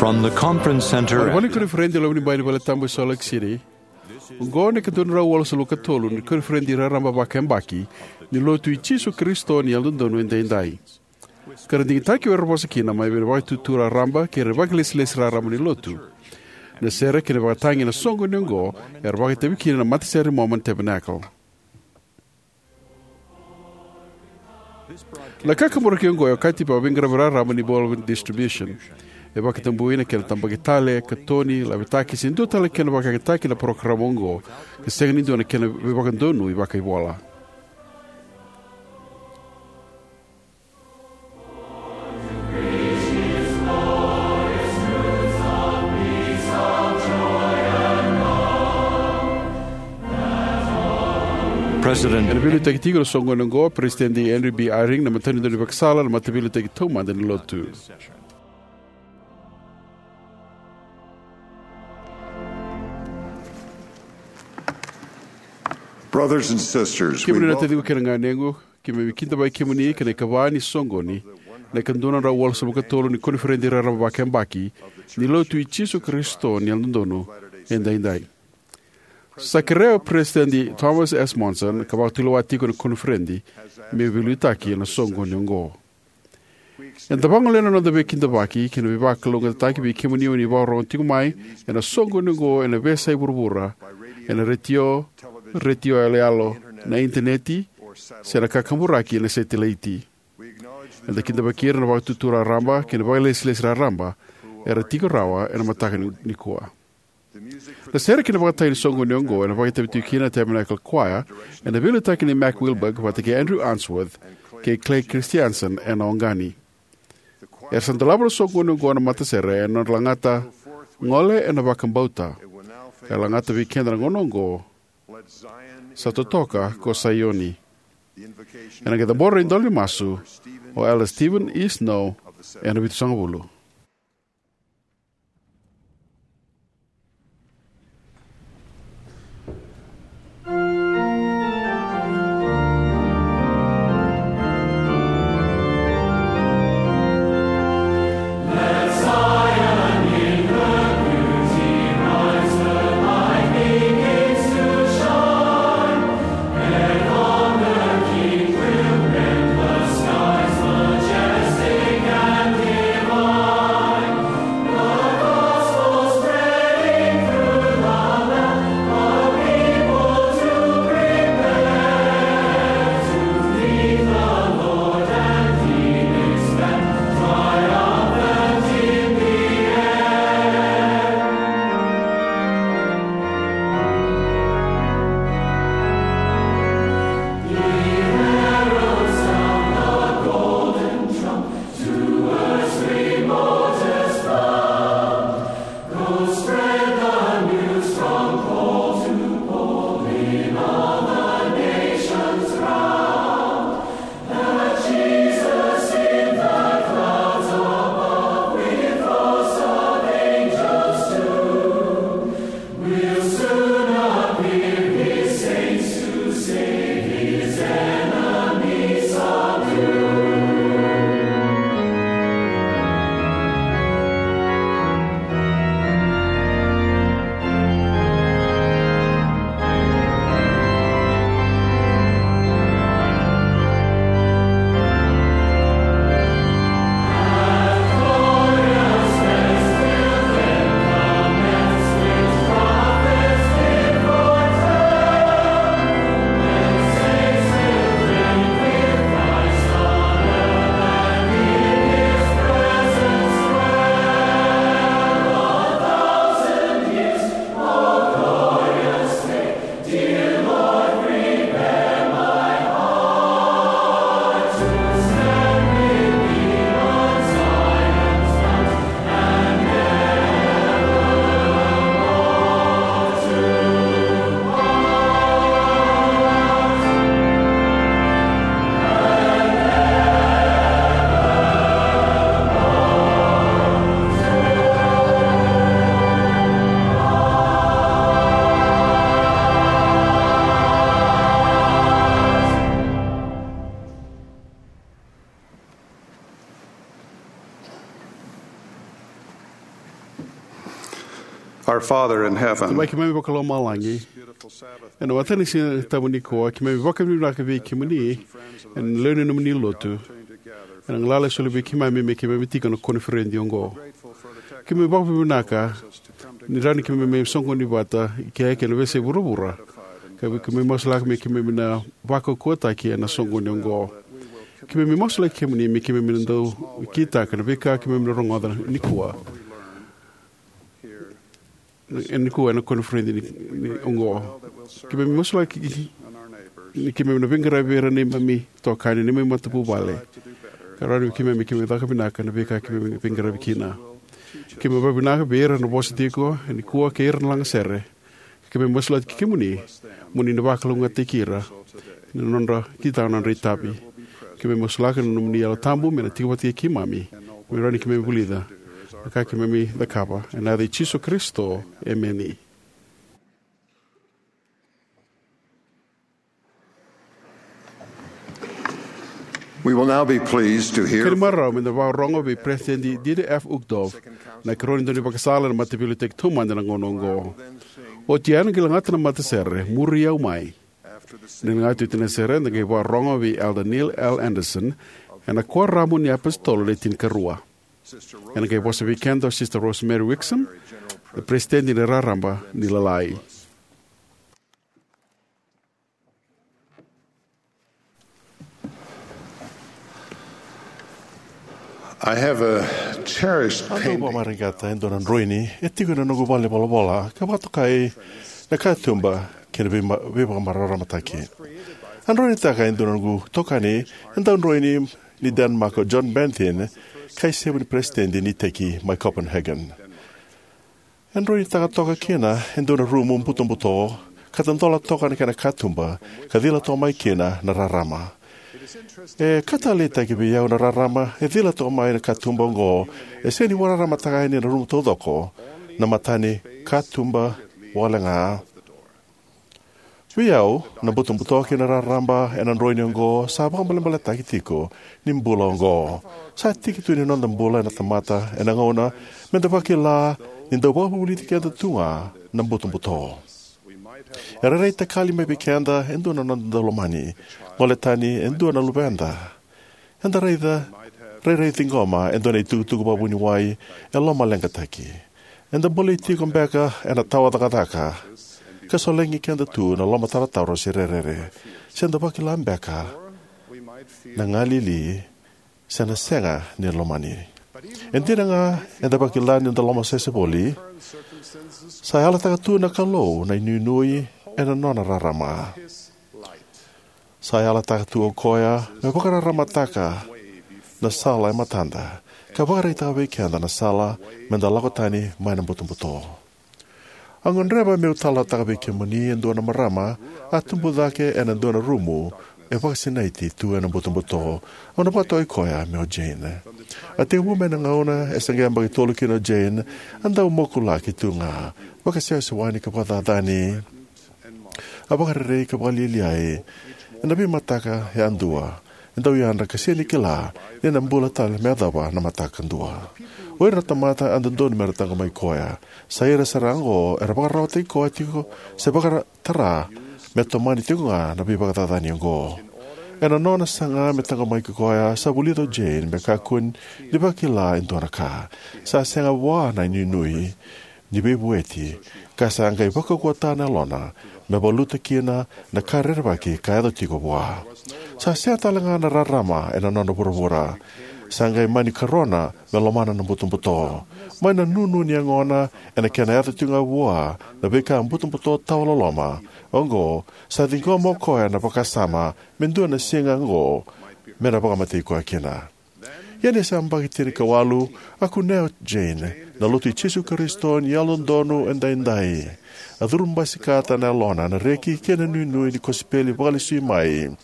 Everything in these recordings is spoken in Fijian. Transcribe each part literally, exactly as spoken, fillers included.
On the conference center. Vale ni koniferedi e loma ni bai ni valetabu e Salt Lake City. Oqo na ika dua na drau walusagavulu ka tolu ni koniferedi raraba vakayabaki ni Lotu i Jisu Karisito ni Yalododonu Edaidai. Ka ra digitaki vei ira era vosa kina mai vei na Vakaitutu Raraba kei ira na vakailesilesi raraba ni Lotu. Na sere kei na vakatagi ena soqoni oqo era vakaitavi kina na matasere ni Mormon Tabernacle. Na kakaburaki oqo e okati vakaveiqaravi raraba ni World Distribution. E vakatabui na kena tabaki tale, katoni, lavetaki se dua tale na kena vakayagataki na parokaramu oqo, ka sega ni dua na kena veivakadonui vakaivola. President. Ena veiliutaki tiko ena soqoni oqo o Peresitedi Henry B. Eyring, na matanitu ni ivakasala, na mataveiliutaki taumada ni Lotu. Brothers and sisters, we Kemuni na welcome taciqu kei na ganequ, keimami kidavaki kemuni ki na ikava ni soqoni, na ika dua na drau walusagavulu ka tolu ni koniferedi raraba vakayabaki ni Lotu i Jisu Karisito ni Yalododonu Edaidai. Sa kerea o Peresitedi Thomas S. Monson ka vakatulewa tiko ena koniferedi me veiliutaki ena soqoni oqo. Eda vagolea na noda veikidavaki kei na veivakalougatataki vei kemuni o ni vakarorogo tiko mai ena soqoni oqo ena veiyasai vuravura, ena retio, retio yaloyalo, na initaneti, se na kakaburaki ena setilaiti. Eda kidavaki ira na Vakaitutu Raraba kei na vakailesilesi raraba era tiko rawa ena mataka ni, nikua. Na sere kei na vakatagi ni soqoni oqo ena vakaitavi tiko kina na Tabernacle Choir, ena veiliutaki nei Mac Wilberg vata kei Andrew Unsworth kei Clay Christensen ena oqani. Era sa dolava na soqoni oqo na matasere ena nodra lagata Gole ena Vakabauta. E lagata vei keda na gauna oqo, Sa Totoka ko Saioni. Ena qai cabora na idola ni masu o Elder Steven E. Snow ena vitusagavulu. Our Father in heaven, Tamai keimami vakalomalagi, ena mataka ni Siga Tabu nikua, keimami vakavinavinaka vei kemuni, ena lewe ni nomuni lotu, ena galala e soli vei keimami me keimami tiko ena koniferedi oqo. Keimami vakavinavinaka ni rawa ni keimami mai soqoni vata i ke ena veiyasai vuravura, ka keimami masulaka me keimami na vakaukauwataki ena soqoni oqo. Keimami masulaki kemuni me keimami na dau kitaka na veika keimami na rogoca nikua, e nikua ena koniferedi ni, ni oqo. Keimami masulaki ni keimami na veiqaravi vei ira na neimami itokani, neimami matavuvale, ka rawa ni keimami, keimami caka vinaka na veika keimami veiqaravi kina. Keimami vakavinavinaka vei ira na vosa tiko e nikua kei ira na lagasere. Keimami masulaki kemuni mo ni na vakalougatataki ira, ni nodra kitaka na nodra itavi. Keimami masulaka na nomuni Yalo Tabu me na tiko vata kei keimami, me rawa ni keimami vulica na ka keimami cakava. Ena yaca i Jisu Karisito, emeni. We will now be pleased to hear. Kena marau me da vakarorogo vei President Dieter F. Uchtdorf, na ikarua ni daunivakasala ena Mataveiliutaki Taumada ena gauna oqo. Oti ya, na qai lagata na matasere Muri Au Mai. Ni lagati oti na sere, da qai vakarorogo vei Elder Neil L. Andersen ena Kuoramu ni iApositolo Le Tinikarua. Ena qai vosa vei keda o Sister Rosemary Wixom, na President ni Raraba ni Lalai. I have a cherished painting. Au vakamareqeta e dua na droini e tiko ena noqu valenivolavola, ka vakatokai na katuba kei na veima-, veivakamararamataki. A droinitaka e dua na noqu itokani, e dau droini ni Denmark o John Benthin, ka isevu ni peresitedi ni iteki mai Copenhagen. E droinitaka toka kina e dua na rumu butobuto, ka dodola toka na kena katuba, ka cila toka mai kina na rarama. E ka taleitaki vei au na rarama e cila toka mai na katuba oqo, e sega ni vakararamataka yani na rumu taucoko, na mata ni katuba wale ga. Vei au, na butobuto kei na raraba ena droini oqo sa vakaibalebaletaki tiko ni bula oqo. Sa tiki tu ni noda bula ena tamata ena gauna me da vakila ni dau vakavulici keda tu ga na butobuto. E rairai takali mai vei keda e dua na noda daulomani, gole tani e dua na luveda. Eda raica, rairai ciqoma e dua na itukutuku vakavuniwai e lomaleqataki. Eda bolei tiko beka ena tawa cakacaka, ka solegi keda tu na lomatarotaro se rerere, se da vakila beka na galili se na sega ni lomani. E dina ga eda vakila ni da lomasese voli, sa yalataka tu na Kalou na inuinui ena nona rarama. Sa yalataka tu o koya me vakararamataka na sala e matada, ka vakaraitaka vei keda na sala me da lako tani mai na butobuto. Au gadreva meu talanoataka vei kemuni e dua na marama a tubu cake ena dua na rumu e vakasinaiti tu ena butobuto. Au na vakatokai koya me o Jane. A tekivu mai na gauna e se qai yabaki tolu kina o Jane, a dau mokulaki tu ga, vakasewasewani ka vakacacani. A vakarerei ka vakalialiai ena veimataka yadua. E dau yadra ka sega ni kila ni na bula tale me yacova na mataka kadua. O ira na tamata a dodonu mera taqomaki koya, sai ira sara oqo era vakararawataki koya tiko se vakatara me tomani tiko ga na veivakacacani oqo. Ena nona saga me taqomaki koya, sa vulica o Jane me kakua ni vakila e dua na ka. Sa sega vua na inuinui ni veivueti, ka sa qai vakaukauwataka na yalona me valuta kina na ka rerevaki ka yaco tiko vua. Sa sega tale ga na rarama ena nona vuravura. Sa qai mani karona me lomana na butobuto. Mai na nunu ni yagona ena kena yaco tiko ga vua na veika butobuto tawa loloma oqo, sa ciqoma o koya na vakasama me dua na siga oqo me na vakamatei koya kina. Ia ni sa yabaki tinikawalu, a kunea o Jane na Lotu i Jisu Karisito ni Yalododonu Edaidai. A curubasikata na yalona na reki kei na inuinui ni kosipeli vakalesui mai,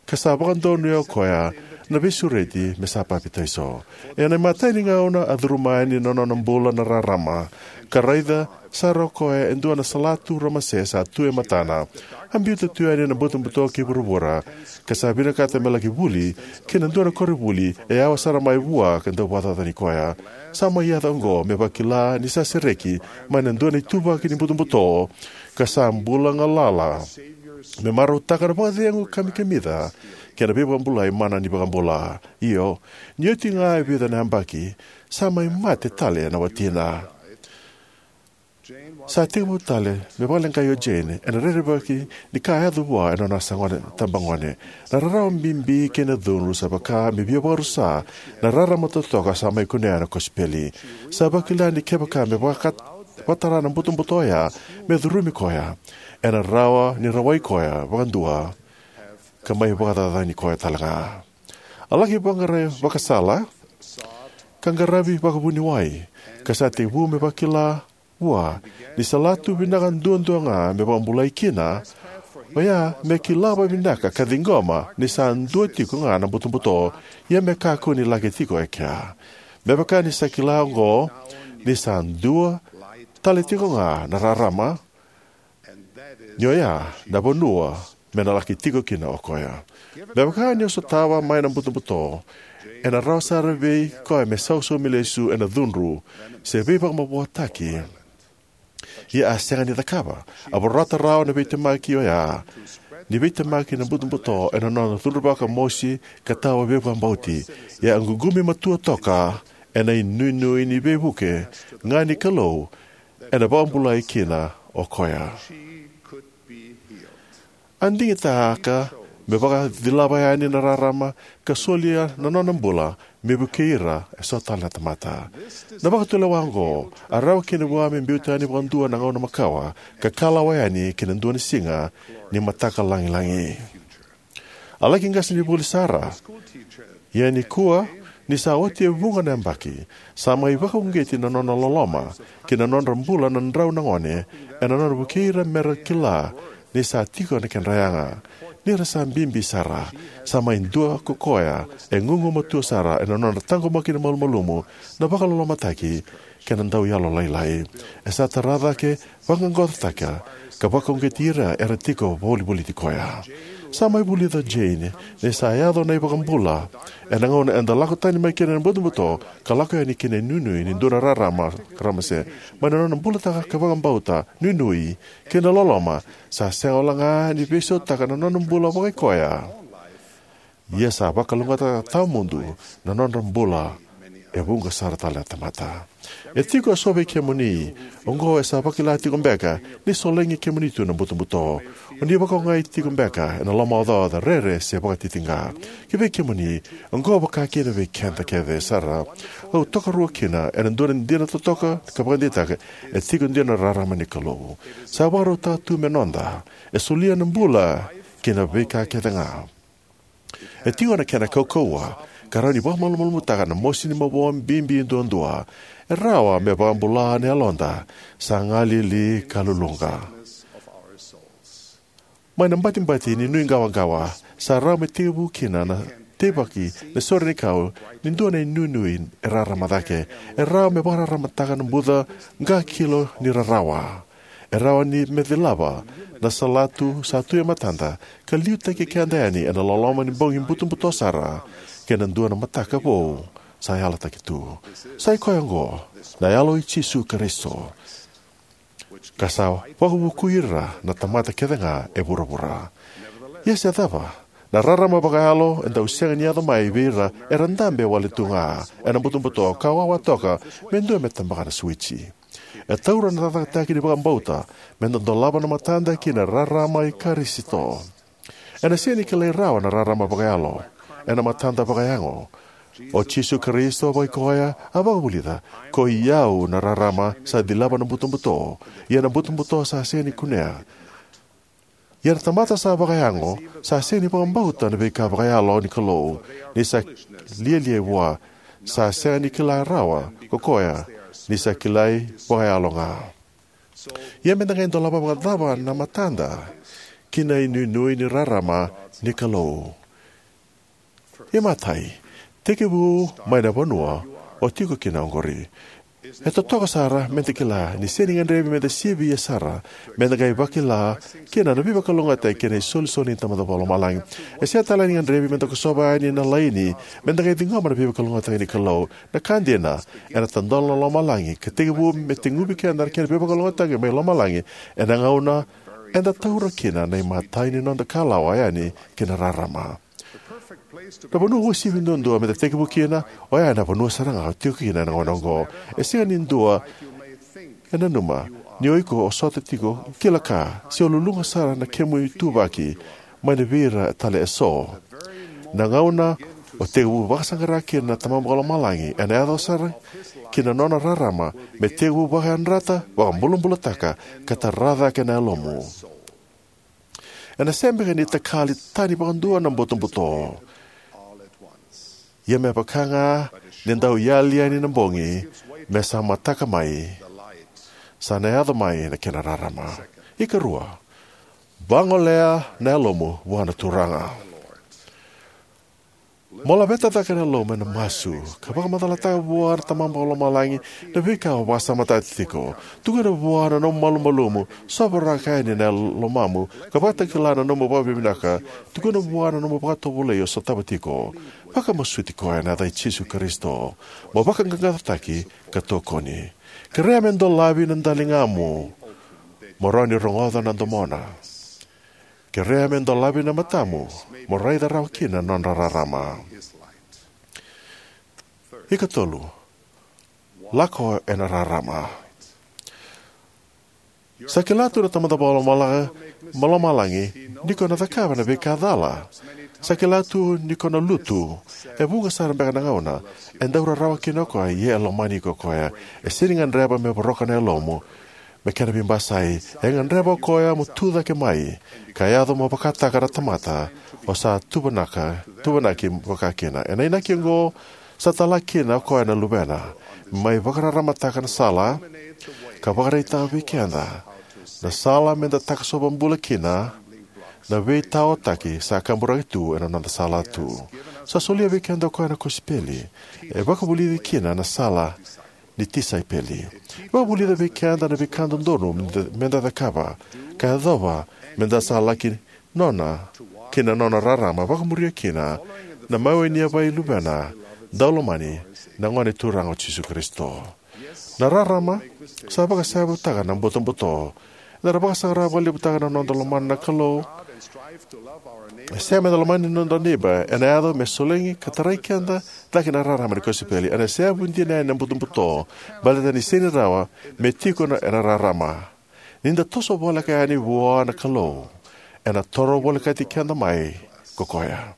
ka sa vakadonuya o koya na veisureti me sa papitaiso. Ena imatai ni gauna a curuma yani na nona bula na rarama, ka raica sara o koya e dua na salatu ramase sa tu e matana. A biuta tu yani na butobuto ki vuravura, ka sa vinakata me laki vuli ki na dua na koronivuli e yawa sara mai vua ka dau vakacacani koya. Sa mai yaco oqo me vakila ni sa sereki mai na dua na ituvaki ni butobuto, ka sa bula galala me marautaka na vakacegu kamikamica kei na veivakabulai mana ni iVakabula. Io, ni oti ga e vica na yabaki, sa mai mate tale na watina. Sa tekivu tale me vakaleqai o Jane ena rerevaki ni ka a yaco vua ena nona sagone tabagone. Na rarawa bibi kei na cudru sa vaka me via vakarusa na rarama totoka sa mai kunea na kosipeli. Sa vakila ni kevaka me vaka- vakatara na butobuto oya me curumi koya, ena rawa ni rawai koya vakadua ka mai vakacacani koya talega. A laki vaqarai vakasala ka qaravi vakavuniwai, ka sa tekivu me vakila vua ni salatu vinaka duadua ga me vakabulai kina, oya me kila vakavinaka ka ciqoma ni sa dua tiko ga na butobuto, ia me kakua ni laki tiko e kea. Me vaka ni sa kila oqo ni sa dua tale tiko ga na rarama, ni oya na vanua me na laki tiko kina o koya. Me vaka ni o sotava mai na butobuto, ena rawa sara vei koya me sausaumi lesu ena cudru se veivakamavoataki. Ia a sega ni cakava. A vorata rawa na veitemaki oya ni veitemaki na butobuto ena nona cudruvaka mosi ka tawa veivakabauti. Ia a ququmi matua toka ena inuinui ni veivuke ga ni Kalou ena vakabulai kina o koya. A digitaka me vakacilava yani na rarama ka solia na nona bula me vukei ira eso tale na tamata. Na vakatulewa oqo a rawa kina vua me biuta yani vakadua na gauna makawa ka kalawa yani ki na dua na siga ni mataka lagilagi. A laki qasenivuli sara, ia nikua ni sa oti e vuqa na yabaki, sa mai vakauqeti na nona loloma ki na nodra bula na drau na gone, ena nona vukei ira mera kila ni sa tiko na kedra yaga. Ni ra sa bibi sara, sa mai dua ko koya e gugumatua sara ena nona taqomaki na malumalumu, na vakalolomataki kei na dauyalolailai. E sa tara cake, vaqaqacotaka ka vakauqeti ira era tiko volivoliti koya. Sa mai vulica o Jane ni sa yaco na iVakabula ena gauna eda lako tani mai kina na butobuto ka lako yani ki na inuinui ni dua na rarama ramase. Mai na nona bulataka ka vakabauta, nuinui, kei na loloma, sa sega wale ga ni veisautaka na nona bula vakaikoya, ia sa vakalougatataka tawamudu na nodra bula e vuqa sara tale na tamata. E tiko eso vei kemuni oqo e sa vakila tiko beka ni solegi kemuni tu na butobuto. O ni vakaogai tiko beka ena lomaocaoca, rere, se vakatitiqa. Kivei kemuni, oqo vaka kina vei keda kece sara. Au tokaruataka kina ena dua na dina totoka ka vakadeitaka, e tiko dina na rarama ni Kalou. Sa vakarautaka tu me noda. E solia na bula kei na veika kece ga. E tiko na kena kaukauwa ka rawa ni vakamalumalumutaka na mosi ni mavoa bibi duadua. E rawa me vakabula na yaloda sa galili ka luluqa. Mai na batibati ni nuiqawaqawa sa rawa me tekivu kina na teivaki na sorenikau ni dua na inuinui e rarama cake. E rawa me vakararamataka na buca qakilo ni rarawa. E rawa ni me cilava na salatu sa tu e matada ka liutaki keda yani ena loloma ni bogi butobuto sara kei na dua na mataka vou sa yalataki tu. Sa i koya oqo na Yalo i Jisu Karisito, ka sa vakavukui ira na tamata kece ga e vuravura. Ia se cava, na rarama vakayalo e dau sega ni yaco mai vei ira era dabe wale tu ga ena butobuto ka wawa toka me dua me tabaka na suwiji. E taura na cakacakataki ni vakabauta me da dolava na matada ki na rarama i Karisito. Ena sega ni kilai rawa na rarama vakayalo ena matada vakayago. O Jisu Karisito vakaikoya a vakavulica, "Koi au na rarama sa cilava na butobuto, ia na butobuto sa sega ni kunea. Ia na tamata sa vakayago sa sega ni vakabauta na veika vakayalo ni Kalou, ni sa lialia vua, sa sega ni kila rawa ko koya, ni sa kilai vakayalo ga." Ia me da qai dolava vakacava na matada ki na inuinui ni rarama ni Kalou? Imatai, tekivu mai na vanua o tiko kina oqori. E totoka sara meda kila ni sega ni gadrevi meda sivia sara meda qai vakila kina na veivakalougatataki kei na isolisoli ni Tamada Vakalomalagi. E sega tale ni gadrevi meda kosova yani na laini meda qai ciqoma na veivakalougatataki ni Kalou. Na ka dina, ena tadola na lomalagi ka tekivu me teguvi keda na kena veivakalougatataki mai lomalagi ena gauna eda taura kina na imatai ni noda kalawa yani ki na rarama. Na vanua uasivi duadua meda tekivu kina, oya na vanua sara ga o tiko kina ena gauna oqo. E sega ni dua e nanuma ni o iko o sota tiko, kila ka, se o luluqa sara na kemu ituvaki mai na vei ira tale eso. Na gauna o tekivu vakasaqara kina na Tamamu Vakalomalagi, ena yaco sara ki na nona rarama me tekivu vakayadrata, vakabulabulataka, ka tara cake na yalomu. Ena sega beka ni takali tani vakadua na butobuto. Ia me vaka ga ni dau yali yani na bogi me sa mataka mai, sa na yaco mai na kena rarama. Ikarua, vagolea na yalomu vua na Turaga. Mo laveta cake na yalomu ena masu ka vakamacalataka vua na Tamamu Vakalomalagi na veika o vakasamataka tiko. Tukuna vua na nomu malumalumu, sovaraka yani na lomamu, ka vakatakila na nomu vakavinavinaka. Tukuna vua na nomu vakatovolei o sotava tiko. Vakamasuti koya ena yaca i Jisu Karisito mo vaqaqacotaki ka tokoni. Kerea me dolavi na daligamu mo rawa ni rogoca na domona. Kerea me dolavi na matamu mo raica rawa kina na nona rarama. Ikatolu, lako ena rarama. Sa kila tu na Tamada Vakalomalagi ni ko na cakava na veika cala. Sa kila tu ni ko na lutu. E vuqa sara beka na gauna e dau rarawa kina o koya, ia e lomani iko o koya. E sega ni gadreva me voroka na yalomu me kena veibasai. E gadreva o koya mo tu cake mai ka yaco mo vakataka na tamata o sa tuvanaka, tuvanaki vakakina. Ena inaki oqo, sa tala kina o koya na Luvena me mai vakararamataka na sala ka vakaraitaka vei keda na sala meda takosova bula kina, na veitaotaki sa kaburaki tu ena noda sala tu. Sa solia vei keda o koya na kosipeli e vakavulici kina na sala ni tisaipeli. Vakavulica vei keda na veika dodonu meda, meda cakava ka yacova meda sa laki nona ki na nona rarama, vakamuria kina na maiwai ni yavai Luvena daulomani, na Gone Turaga o Jisu Karisito. Na rarama sa vakaseyavutaka na butobuto. Eda na vakasaqara vakalevutaka na noda lomana na Kalou. E sega meda lomani na noda neiba ena yaco me solegi ka tarai keda cake na rarama ni kosipeli. Ena seyavu dina yani na butobuto baleta ni sega ni rawa me tiko na, ena rarama. Ni da toso voleka yani vua na Kalou, ena toro volekati keda mai ko koya.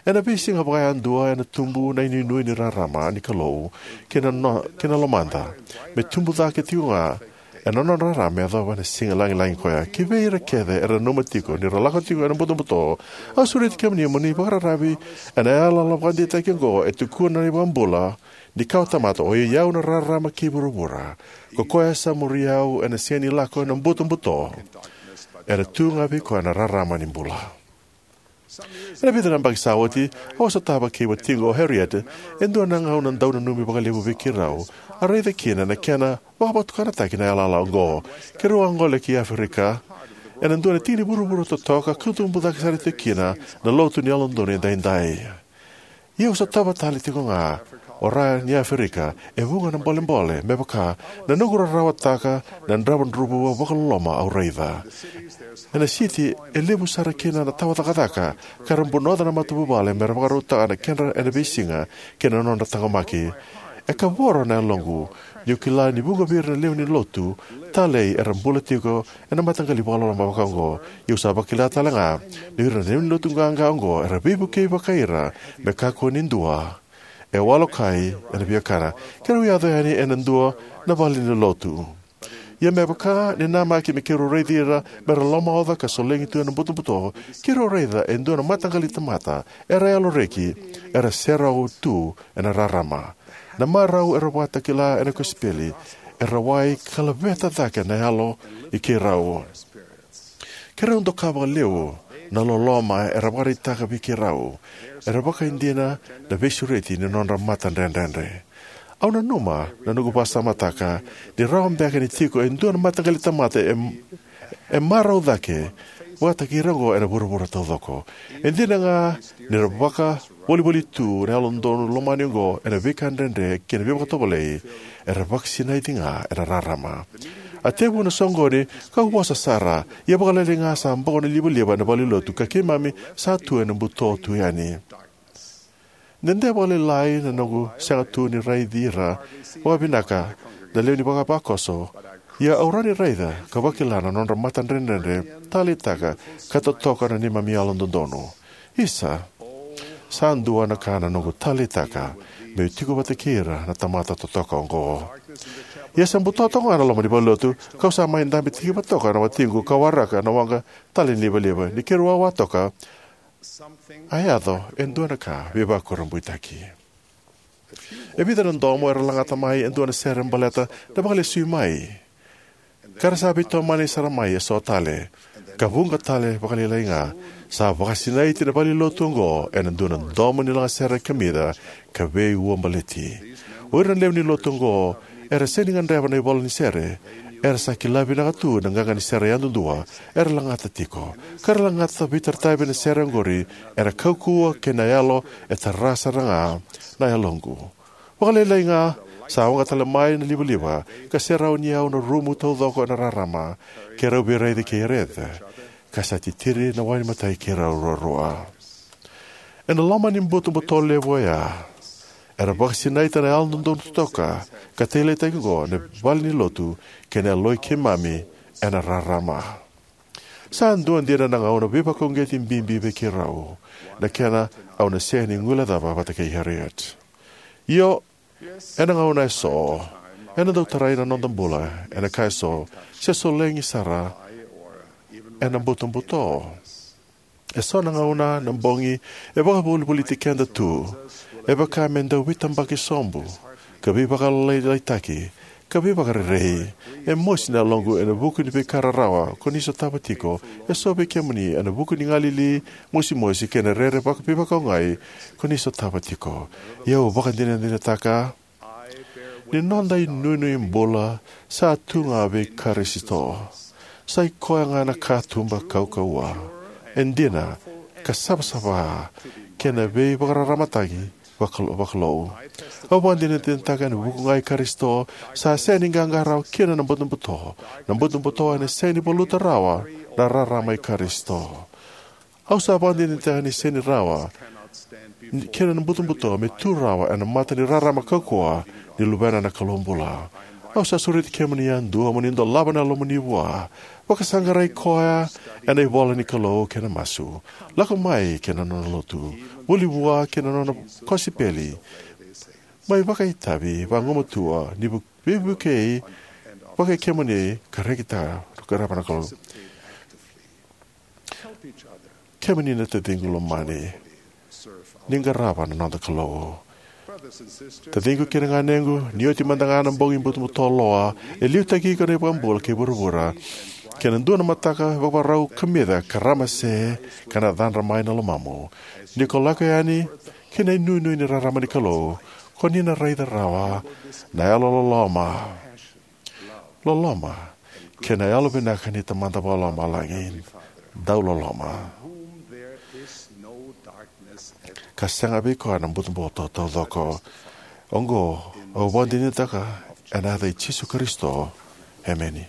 Ena veisiga vakayadua ena tubu na inuinui ni rarama ni Kalou ki na, no, ki na lomada, me tubu cake tiko ga ena nona rarama me yacova na siga lagilagi koya. Ki vei ira kece era nanuma tiko ni ra lako tiko ena butobuto, au sureti kemuni mo ni vakararavi ena yalayala vakadeitaki oqo e tukuna na iVakabula ni kawa tamata: O i au na rarama kei vuravura. Ko koya sa muri au ena sega ni lako ena butobuto, ena tu ga vei koya na rarama ni bula. Ena vica na yabaki sa oti, au a sotava kei watiqu o Harriet e dua na gauna dau nanumi vakalevu vei keirau a raica kina na kena vakavatukanataki na yalayala oqo. Keirau a gole ki Aferika ena dua na tiki ni vuravura totoka ka tubu cake sara tiko kina na lotu ni Yalododonu Edaidai. Ia au sotava tale tiko ga o Ra ni Aferika e vuqa na bolebole, me vaka na noqu rarawataka na dravudravua vakaloloma au raica. Ena siti e levu sara kina na tawa cakacaka, ka ra bunoca na matavuvale me ra vakarautaka na kedra ena veisiga kei na nodra taqomaki. E kavoro na yaloqu niu kila ni vuqa vei ira na lewe ni lotu talei era bula tiko ena mataqali vakaloloma vaka oqo. Ia au sa vakila tale ga ni o ira na lewe ni lotu qaqa oqo era veivukei vakai ira me kakua ni dua e walokai ena viakana. Keirau yaco yani ena dua na valenilotu. Ia me vaka ni namaki me keirau raici ira me ra lomaoca ka solegi tu ena butobuto, keirau raica e dua na mataqali tamata era yaloreki, era serau tu ena rarama. Na marau era vakatakila ena kosipeli e rawai ka laveta cake na yalo i keirau. Keirau doka vakalevu na loloma era vakaraitaka vei keirau. Era vakaidina na veisureti ni nodra matadredredre. Au nanuma na noqu vakasamataka ni rawa beka ni tiko e dua na mataqali tamata e, e marau cake vakataki ira oqo ena vuravura taucoko. E dina ga ni ra vakavolivoli tu na yalododonu lomani oqo ena veika dredre kei na veivakatovolei, era vakasinaiti ga ena rarama. A tevu na soqoni kau vosa sara, ia vakalailai ga sa boko na livaliva ena valenilotu ka keimami sa tu ena buto tu yani. Dede vakalailai na noqu sega tu ni raici ira vakavinaka na lewe ni vakavakoso, ia au rawa ni raica ka vakila na nodra matadredredre taleitaka ka totoka na neimami yalododonu. Isa, sa dua na ka na noqu taleitaka meu tiko vata kei ira na tamata totoka oqo. Ia sa buto toka ga na loma ni valenilotu, kau sa mai dabe tikiva toka na watiqu ka waraka na waqa tale ni livaliva. Ni keirau wawa toka, a yaco e dua na ka veivakurabuitaki. E vica na domo era lagata mai e dua na sere baleta na vakalesui mai, ka ra sa veitomani sara mai eso tale, ka vuqa tale vakalailai ga, sa vakasinaiti na valenilotu oqo ena dua na domo ni lagasere kamica ka veiuabaleti. O ira na lewe ni lotu oqo era sega ni gadreva na ivola ni sere, era sa kila vinaka tu na qaqa ni sere yadudua era lagata tiko, ka ra lagata veitarataravi na sere oqori ena kaukauwa kei na yalo e tara sara ga na yaloqu. Vakalailai ga, sa waqa tale mai na livaliva ka serauni au na rumu taucoko ena rarama, keirau veiraici kei Ereth, ka sa titiri na wainimatai keirau ruarua. Ena loma ni butobuto levu oya, era vakasinaita na yalododonu totoka ka taleitaki oqo na valenilotu kei na yaloi keimami ena rarama. Sa dua dina na gauna veivakauqeti bibi vei keirau, na kena au na sega ni guilecava vata kei Harriet. Io, ena gauna eso, ena dau tarai na noda bula ena ka eso, se solegi sara ena butobuto. Eso na gauna na bogi e vakavolivoliti keda tu, e vaka me dau veitabaki sobu, ka veivakalailaitaki, ka veivakarerei. E mosi na yaloqu ena vuku ni veika rarawa ko ni sotava tiko, eso vei kemuni ena vuku ni galili mosimosi kei na rere vaka veivakaogai ko ni sotava tiko. Ia au vakadinadinataka ni noda inuinui bula sa tu ga vei Karisito. Sa i koya ga na katuba kaukauwa, e dina, ka savasava, kei na veivakararamataki vakalo-, vakalou. Au vakadinadinataka ena vuku ga i Karisito, sa sega ni qaqa rawa kina na butobuto. Na butobuto ena sega ni valuta rawa na rarama i Karisito. Au sa vakadinadinataka ni sega ni rawa ni kena na butobuto me tu rawa ena mata ni rarama kaukauwa ni Luvena na Kalou bula. Au sa sureti kemuni yadua mo ni dolava na yalomuni vua. Vakasaqarai koya ena ivola ni Kalou kei na masu. Lako mai kei na nona lotu. Vuli vua kei na nona kosipeli. Mai vakaitavi vagumatua ni vu-, veivukei vakai kemuni ka rekitaka na qarava na Kalou. Kemuni na taciqu lomani, ni qarava na noda Kalou. Taciqu kei na ganequ, ni oti mada ga na bogi butobuto loa e liutaki iko na iVakabula kei vuravura, kei na dua na mataka vakavakarau kamica ka ramase ka na cadra mai na lomamu. Ni ko lako yani ki na inuinui ni rarama ni Kalou, ko ni na raica rawa na yalololoma, loloma, kei na yalovinaka ni Tamada Vakalomalagi, dauloloma, ka sega vei koya na butobuto taucoko. Oqo au vakadinadinataka ena yaca i Jisu Karisito. Emeni.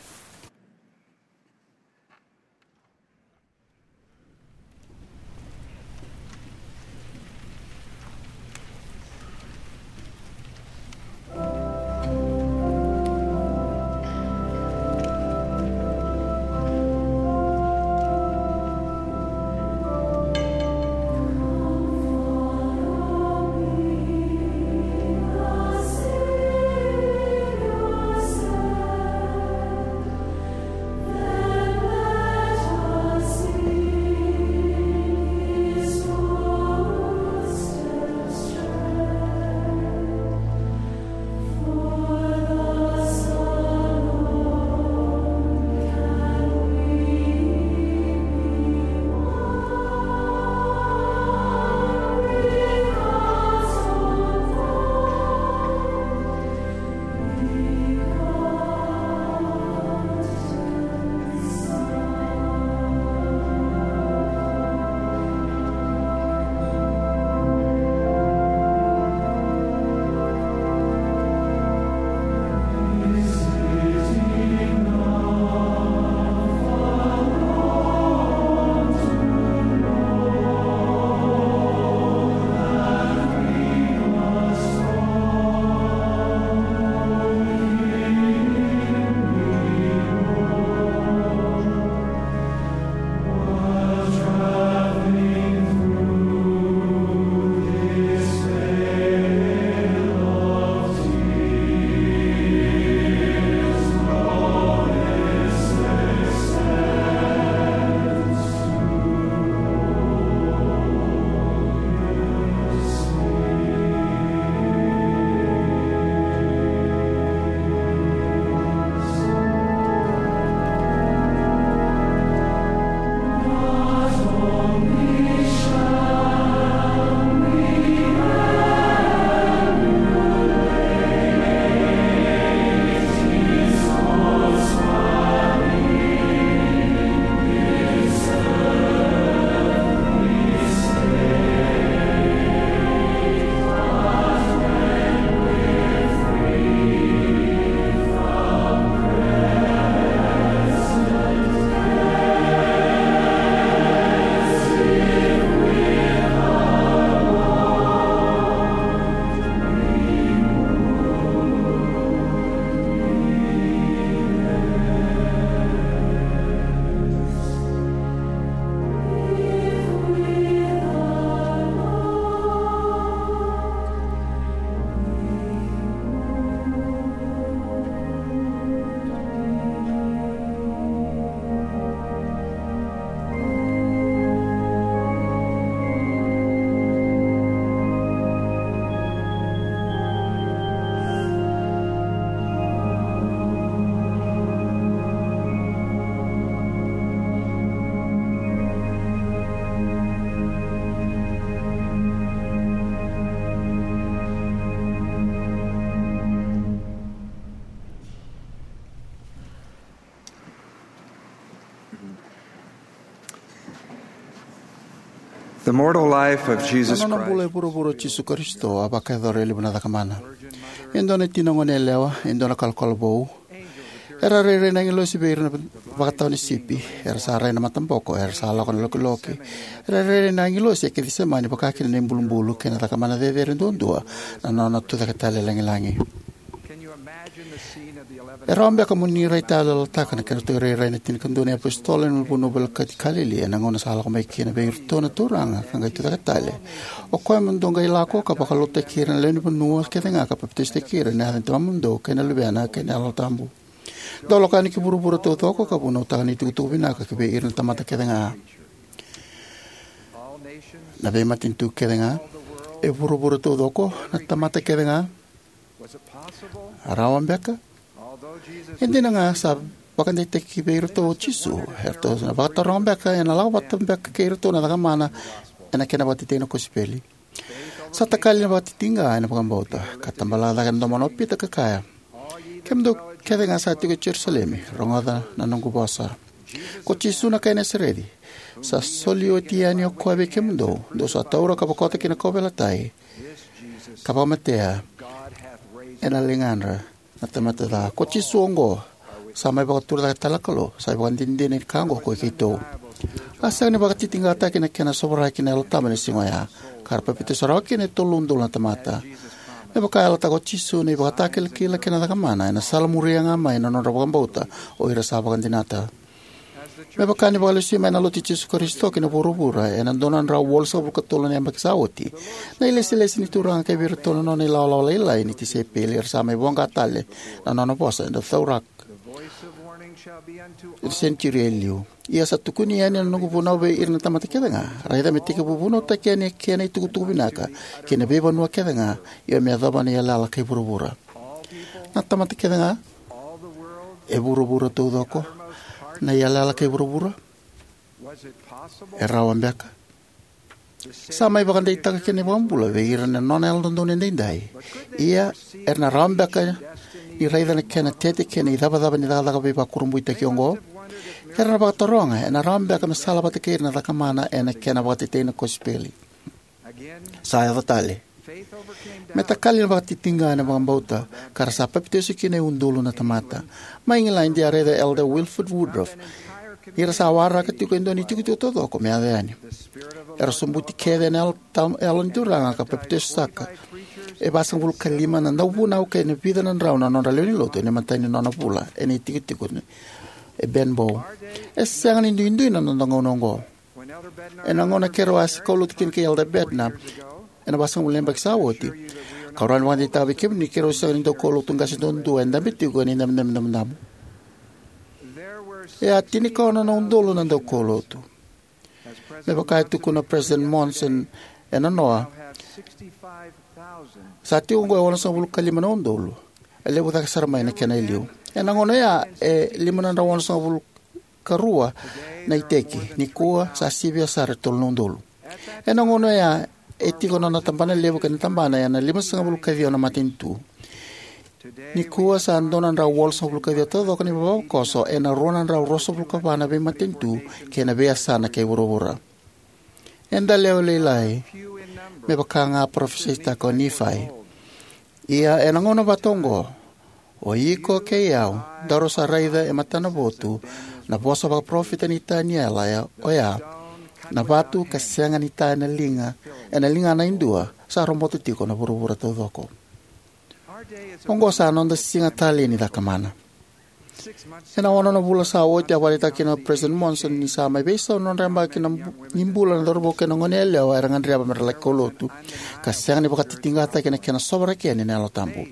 The mortal life of Jesus Na nona bula e Christ vuravura o Jisu Karisito a vakayacora e levu na cakamana. E dua na tina gone yalewa, e dua na kalokalo vou. Era rairai na agilosi vei ira na vakatawa ni sipi. Era sa rai na mataboko, era sa lako na lokiloki. Era rairai na agilosi e Kecisemani, vaka kina na ibulubulu kei na cakamana cecere duadua, na nona tucake tale lagilagi. E rawa beka mo ni raitayaloyalotaka na kedratou irairai na tinikadua na iapositolo ena vanua volekati Kalili, ena gauna sa lako mai kina vei iratou na Turaga ka qai tucake tale. O koya mo dou qai lako ka vakalotutaki ira na lewe ni vanua kecega ka papitaisotaki ira ena yaca ni Tamamudou kei na Luvena kei na Yalo Tabu. Dou lako yani ki vuravura taucoko ka vunautaka na itukutuku vinaka ki vei ira na tamata kecega. Na veimatanitu kecega, e vuravura taucoko, na tamata kecega. Rawa beka? E dina ga sa vakadeitaki vei iratou o Jisu, eratou na vakataroga beka ena lako vata beka kei iratou na cakamana ena kena vakatetei na kosipeli. Sa takali na vakatitiqa ena vakabauta, ka tabala cake na domona o Pita ka kaya, "Kemudou kecega sa tiko e Jerusalemi, rogoca na noqu vosa. Ko Jisu na kai Nasareci, sa soli oti yani o koya vei kemudou, dou sa taura ka vakota ki na kauveilatai, ka vakamatea ena ligadra na tamata ca. Ko Jisu oqo, sa mai vakatura cake tale na Kalou, sa ivakadinadina ni ka oqo ko i keitou." A sega ni vakatitiqataki na kena sovaraki na Yalo Tabu ena siga oya, ka ra papitaiso rawa kina e tolu na udolu na tamata. Me vaka e yalataka o Jisu, na ivakatakilakila kei na cakamana ena sala muria ga mai na nodra vakabauta o ira sa vakadinata. Me vaka ni vakalesui mai na Lotu i Jisu Karisito ki na vuravura ena dua na drau walusagavulu ka tolu na yabaki sa oti, na ilesilesi ni Turaga kei vei iratou na nona ilawalawa lailai ni tisaipeli era sa mai voqa tale na nona vosa ena cauraka ena senitiuri e liu. "Ia sa tukuni yani na noqu vunau vei ira na tamata kecega. Raica me tekivu vunautaki yani e ke na itukutuku vinaka ki na veivanua kecega, io me yacova na iyalayala kei vuravura." Na tamata kecega, e vuravura taucoko, na iyalayala kei vuravura. E rawa beka? Sa mai vakadeitaka kina na iVakabula vei ira na nona Yalododonu Edaidai. Ia, era na rawa beka ni raica na kena tete kei na icavacava ni cakacaka veivakurabuitaki oqo? Era na vakataroga, ena rawa beka me sala vata kei ira na cakamana ena kena vakatetei na kosipeli? Sa yaco tale. Me takali na vakatitiqa ena vakabauta, ka ra sa papitaiso kina e udolu na tamata. Mai Igiladi a raica Elder Wilford Woodruff ni ra sa waraka tiko e dua na itikotiko taucoko me yaco yani. Era sobuti kece ena yalo tam-, yalo ni Turaga ka papitaiso saka e vasagavulu ka lima na dauvunau kei na vica na drau na nodra lewe ni lotu ena imatai ni nona vula ena itikotiko e Benbow. E sega ni duidui na noda gauna oqo. Ena gauna keirau a kaulotu kina kei Elder Bednar ena vasagavulu na yabaki sa oti, kau rawa ni vakadeitaka vei kemuni keirau sega ni daukaulotu qase duadua e dabe tiko ena idabedabe damudamu. E a tinikaono na udolu na daukaulotu. Me vaka e tukuna o President Monson ena noa, sa tiko oqo e onosagavulu ka lima na udolu. E levu cake sara mai na kena e liu. Ena gauna oya e lima na drau onosagavulu ka rua na iteki, nikua sa sivia sara e tolu na udolu. Ena gauna oya e tiko na nona tabana levu kei na tabana ena limasagavulu ka ciwa na matanitu. Nikua sa dua na drau walusagavulu ka ciwa taucoko na ivavakoso ena rua na drau ruasagavulu ka va na veimatanitu kei na veiyasana kei vuravura. Eda lewe lailai, me vaka ga a parofisaitaka o Nifai. Ia ena gauna vata oqo, o iko kei au, daru sa raica e matanavotu na vosa vakaparofita nei Taniela, oya, na vatu ka sega ni ta ena liga, ena ligana e dua, sa robota tiko na vuravura taucoko. Oqo sa noda siga talei ni cakamana. Ena ono na vula sa oti a vakaraitaka kina o President Monson ni sa mai veisau na nodra yabaki na bu-, ni bula na cauravou kei na goneyalewa era gadreva mera laki kaulotu, ka sega ni vakatitiqataki ena kena sovaraki yani na Yalo Tabu.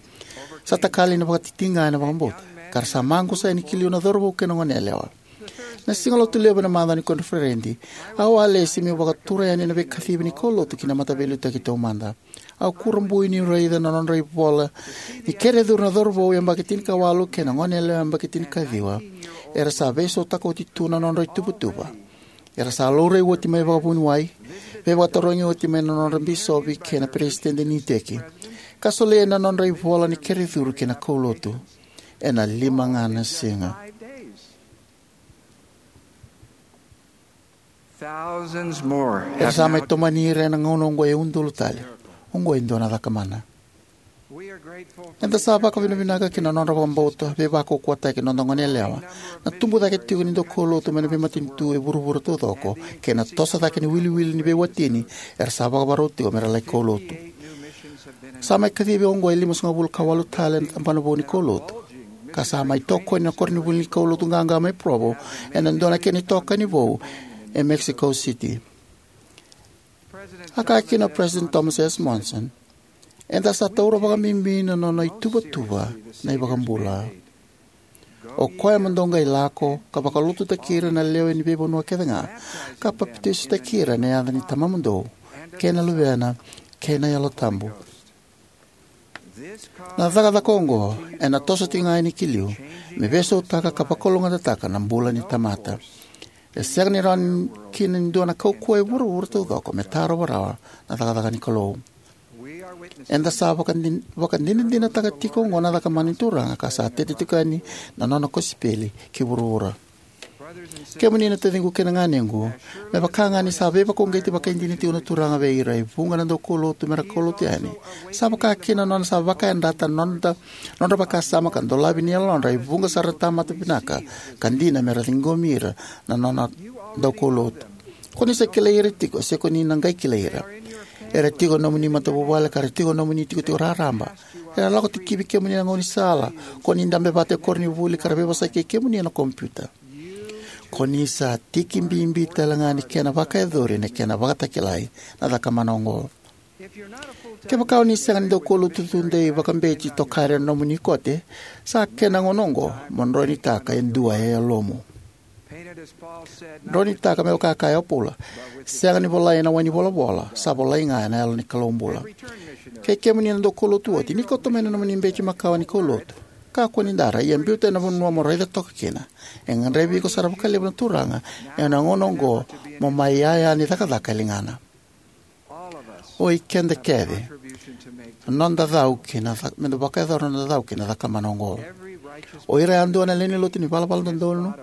Sa takali na vakatitiqa ena vakabauta, ka ra sa maqusa yani ki liu na cauravou kei na goneyalewa. Na siga Lotulevu ena macawa ni koniferedi, au a lesi meu vakatura yani na veikacivi ni kaulotu ki na mataveiliutaki taumada. Au kurabui niu raica na nodra ivola ni kerecuru na cauravou yabaki tinikawalu kei na goneyalewa yabaki tinikaciwa. Era sa veisautaka oti tu na nodra ituvatuva. Era sa laurai oti mai vakavuniwai, veivakatarogi oti mai na nodra bisopi kei na peresitedi ni iteki, ka solia na nodra ivola ni kerecuru ki na kaulotu ena lima ga na siga. Thousands more era have sa mai now tomani ira ena gauna oqo e udolu tale. Oqo e dua na cakamana. We are grateful for Eda sa vakavinavinaka ki na nodra vakabauta veivakaukauwataki na noda goneyalewa, na tubu cake tiko ni daukaulotu mai na veimatanitu e vuravura taucoko, kei na toso cake ni wiliwili ni veiwatini era sa vakavakarau tiko me ra laki kaulotu. Sa mai kacivi oqo e limasagavulu ka walu tale na tabana vou ni kaulotu, ka sa mai tokoni na koronivuli ni kaulotu qaqa mai Provo ena dua na kena itokani vou e Mexico City. A kaya kina o President Thomas S. Monson, eda sa taura vakabibi na nona ituvatuva na iVakabula. O koya mo dou qai lako ka vakalotutaki ira na lewe ni veivanua kece ga, ka papitaisotaki ira ena yaca ni Tamamudou, kei na Luvena, kei na Yalo Tabu. Na cakacaka oqo ena toso tiko ga yani ki liu me veisautaka ka vakalougatataka na bula ni tamata. E sega ni rawa kina ni dua na kaukauwa e vuravura taucoko me tarova rawa na cakacaka ni Kalou. Eda sa vakadin-, vakadinadinataka tiko oqo na cakamana ni Turaga ka sa tete tiko yani na nona kosipeli ki vuravura. Kemuni na taciqu kei na ganequ, me vaka ga ni sa veivakauqeti vakaidina tiko na Turaga vei ira e vuqa na daukaulotu me ra kaulotu yani, sa vaka kina na nona sa vakayadrata na noda, nodra vakasama ka dolavi na yalodra e vuqa sara na tamata vinaka ka dina me ra ciqomi ira na nona daukaulotu. Ko ni sa kilai ira tiko, se ko ni na qai kilai ira. Era tiko na nomuni matavuvale ka ra tiko na nomuni tikotiko raraba. Era lako tikivi kemuni na gaunisala, ko ni dabe vata e koronivuli ka ra veivosaki kei kemuni ena kompiuta. Ko ni sa tiki bibi tale ga ni kena vakayacori na kena vakatakilai na cakamana oqo. Kevaka o ni sega ni daukaulotu tudei vakabeci, tokari ena nomuni kote, sa kena gauna oqo mo droinitaka e dua e yalomu. Droinitaka me vaka e kaya o Paula, sega ni volai ena wai ni volavola, sa volai ga ena Yalo ni Kalou bula. Kei kemuni na daukaulotu oti, ni kauta mai na nomuni beci makawa ni kaulotu. Kakua ni dara, ia biuta ena vanua mo raica toka kina. E gadrevi iko sara vakalevu na Turaga ena gauna oqo mo mai iyaya ni cakacaka e ligana. O ikeda kece, noda cau kina ca-, meda vakayacora noda cau kina cakamana oqo. O ira yadua na lewe ni lotu ni valavala dodonu,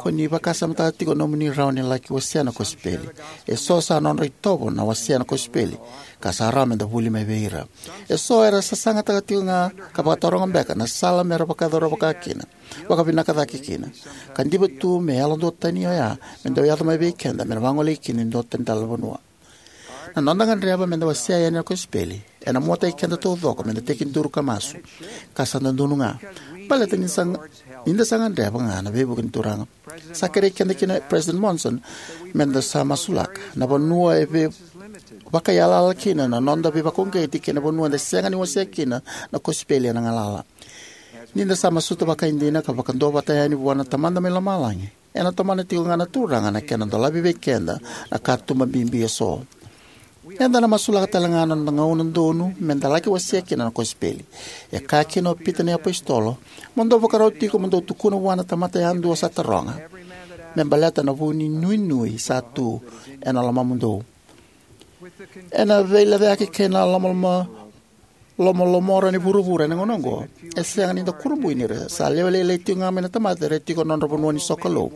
ko ni vakasamataka tiko nomuni rawa ni laki wasea na kosipeli. Eso sa nodra itovo na wasea na kosipeli, ka sa rawa meda vuli mai vei ira. Eso era sasagataka tiko ga ka vakataroga beka na sala mera vakayacora vaka kina, vakavinaka cake kina. Ka diva tu me yalo duatani oya me dau yaco mai vei keda, me na vagolei kina e dua tani tale na vanua. Na noda gadreva meda wasea yani na kosipeli ena muataki keda taucoko meda tekiduru ka masu, ka sa dodonu ga. Baleta ni sa, ni da sa gadreva ga na veivuke ni Turaga. Sa kerei keda kina o President Monson meda sa masulaka na vanua e vei-, vakayalayala kina na noda veivakauqeti kei na vanua eda sega ni wasea kina na kosipeli ena galala. Ni da sa masuta vakaidina ka vakaduavata yani vua na Tamada mai lomalagi, ena tomana tiko ga na Turaga na kena dolavi vei keda na katuba bibi eso. Eda na masulaka tale ga na noda gauna donu meda laki wasea kina na kosipeli. E kaya kina o Pita na iapositolo, mo dou vakarau tiko mo dou tukuna vua na tamata yadua sa taroga, me baleta na vu ni nuinui sa tu ena lomamudou. Ena veilecayaki kei na lomaloma, lomalomora ni vuravura ena gauna oqo, e sega ni da kurabui ni ra sa lewe lailai tiko ga mai na tamata era tiko ena nodra vanua ni sokalou.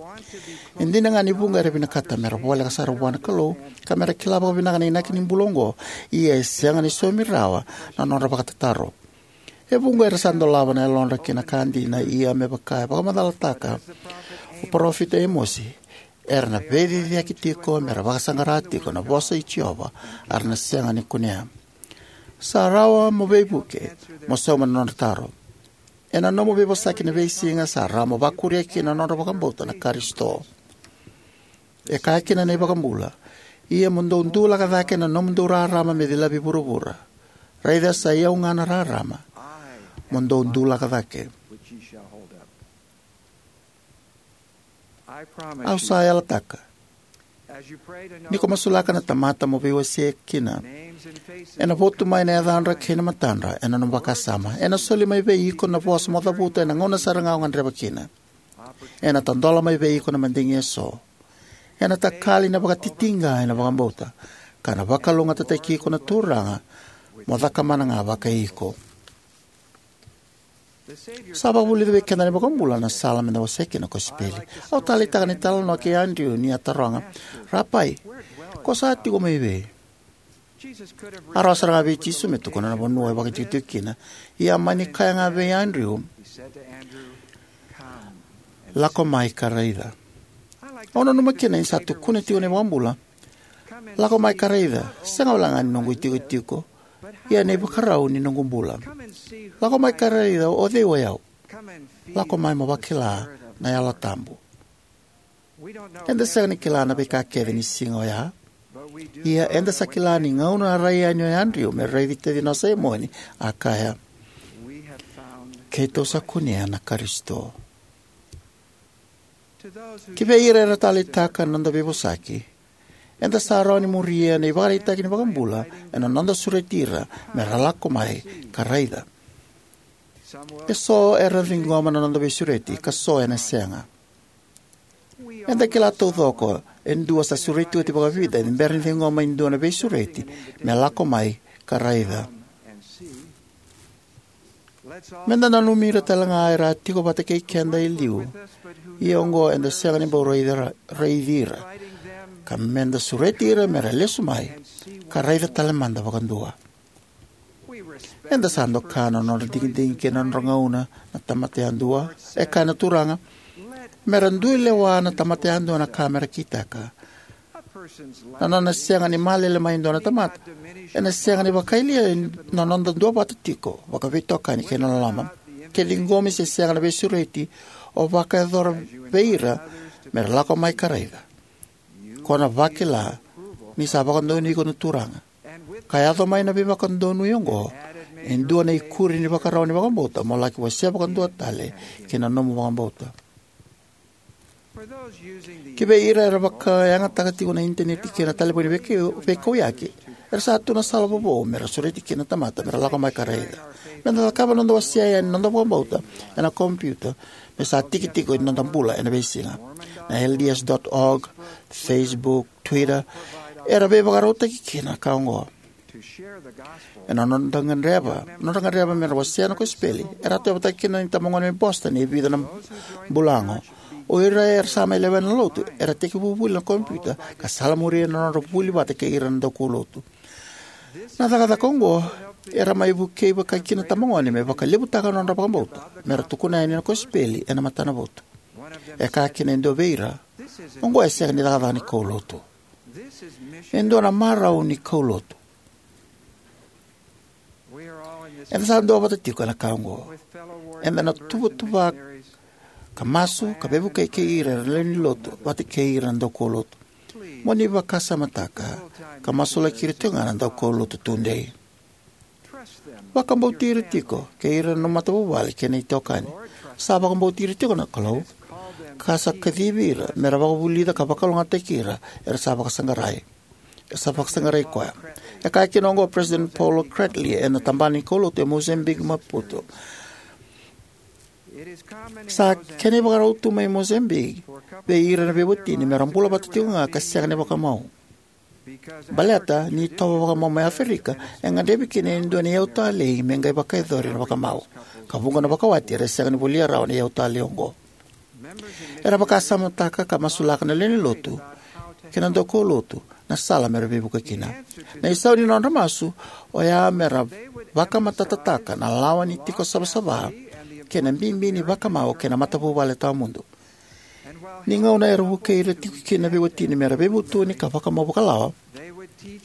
E dina ga ni vuqa era vinakata mera voleka sara vua na Kalou ka mera kila vakavinaka na inaki ni bula oqo, ia e sega ni saumi rawa na nodra vakatataro. E vuqa era sa dolava na yalodra ki na ka dina, ia me vaka e vakamacalataka o parofita Emosi, era na veiciciyaki tiko mera vakasaqara tiko na vosa i Jiova, a ra na sega ni kunea. Sa rawa mo veivuke mo sauma na nodra taro. Ena nomu veivosaki na veisiga, sa rawa mo vakuria kina na nodra vakabauta na Karisito. E kaya kina na iVakabula, ia mo dou dulaka cake na nomudou rarama me cilavi vuravura. Raica, sa i au ga na rarama, mo dou dulaka cake. Au sa yalataka, ni ko masulaka na tamata mo veiwasei kina, ena votu mai na yacadra kei na matadra ena nomu vakasama. Ena soli mai vei iko na vosa mo cavuta ena gauna sara ga o gadreva kina. Ena tadola mai vei iko na madigi eso. Ena takali na vakatitiqa ena vakabauta, ka na vakalougatataki iko na Turaga mo cakamana ga vakai iko. Sa vakavulica vei keda na iVakabula na sala meda wasea kina na kosipeli. Au taleitaka na italanoa kei Adriu ni a taroga, "Rapai, ko sa tiko mai vei?" A rawa sara ga vei Jisu me tukuna na vanua e vakaitikotiko kina, ia a mani kaya ga vei Adriu, "Lako mai ka raica." Au nanuma kina ni sa tukuna tiko na iVakabula, "Lako mai ka raica, sega wale ga ni noqu itikotiko, ia na ivakarau ni noqu bula. Lako mai ka raica o cei o yau. Lako mai mo vakila na Yalo Tabu." Eda sega ni kila na veika kece ni siga oya. Ia eda sa kila ni gauna a rai yani o Adriu me raici tacina o Saimoni, a kaya, "Keitou sa kunea na Karisito." Ki vei ira era taleitaka na noda veivosaki, eda sa rawa ni muria na ivakaraitaki ni iVakabula ena noda sureti ira me ra lako mai ka raica. Eso era ciqoma na noda veisureti, ka so ena sega. Eda kila taucoko e dua sa sureti oti vakavica ni bera ni ciqoma e dua na veisureti me lako mai ka raica. Meda nanumi ira tale ga era a tiko vata kei keda e liu, ia oqo eda sega ni bau raici ira, raici ira, ka meda sureti ira me ra lesu mai ka raica tale mada vakadua. Eda sa doka na nodra digidigi kei na nodra gauna na tamata yadua. E kaya na Turaga, "Me ra dui lewa na tamata yadua na ka me ra kitaka." Na nona sega ni malele mai e dua na tamata ena sega ni vakayalia na noda duavata tiko vakaveitokani kei na loloma. Ke ciqomi se sega na veisureti o vakayacora vei ira me ra lako mai ka raica, ko na vakila ni sa vakadonui iko na Turaga, ka yaco mai na veivakadonui oqo e dua na ikuri ni vakarau ni vakabauta mo laki wasea vakadua tale ki na nomu vakabauta. Ki vei ira era vakayagataka tiko na initaneti kei na talevoni veikau-, veikauyaki, era sa tu na sala vovou me ra sureti kina na tamata me ra lako mai ka raica. Meda cakava na noda wasea yani na noda vakabauta ena kompiuta, me sa tiki tiko ni noda bula ena veisiga. Na L D S dot org, Facebook, Twitter, era veivakarautaki kina na ka oqo. Ena nodra gadreva, nodra gadreva me ra wasea na kosipeli, era a tauyavutaki kina na itabagone mai Boston e vica na bula oqo. O ira era sa mai lewena na lotu era tekivu vuli ena kompiuta ka salamuria na nodra vuli vata kei ira na daukaulotu. Na cakacaka oqo era mai vukei vaka kina na itabagone me vakalevutaka na nodra vakabauta me ra tukuna yani na kosipeli ena matanavotu. E kaya kina e dua vei ira, "Oqo e sega ni cakacaka ni kaulotu. E dua na marau ni kaulotu." Eda sa duavata tiko ena ka oqo. Eda na tuvatuva ka masu ka veivuke kei ira na lewe ni lotu vata kei ira na daukaulotu. Mo ni vakasamataka ka masulaki ira tiko ga na daukaulotu tudei. Vakabauti ira tiko kei ira na matavuvale kei na itokani. Sa vakabauti ira tiko na Kalou, ka sa kacivi ira me ra vakavulica ka vakalougatataki ira era sa vakasaqarai. Era sa vakasaqarai koya. E kaya kina oqo o President Paulo Kretly ena tabana ni kaulotu e Mozambique, Maputo. Sa kena ivakarau tu mai Mozambique vei ira na veiwatini me ra bula vata tiko ga ka sega ni vakamau. Baleta ni itovo vakamau mai Aferika e gadrevi kina e dua na iyau talei me qai vakayacori na vakamau, ka vuqa na vakawati era sega ni volia rawa na iyau talei oqo. Era vakasamataka ka masulaka na lewe ni lotu kei na daukaulotu na sala me ra veivuke kina. Na isau ni nodra masu oya me ra vakamatatataka na lawa ni tiko savasava kei na bibi ni vakamau kei na matavuvale tawamudu. Ni gauna era vukei ira tiko kina na veiwatini me ra veivutuni ka vakamau vakalawa,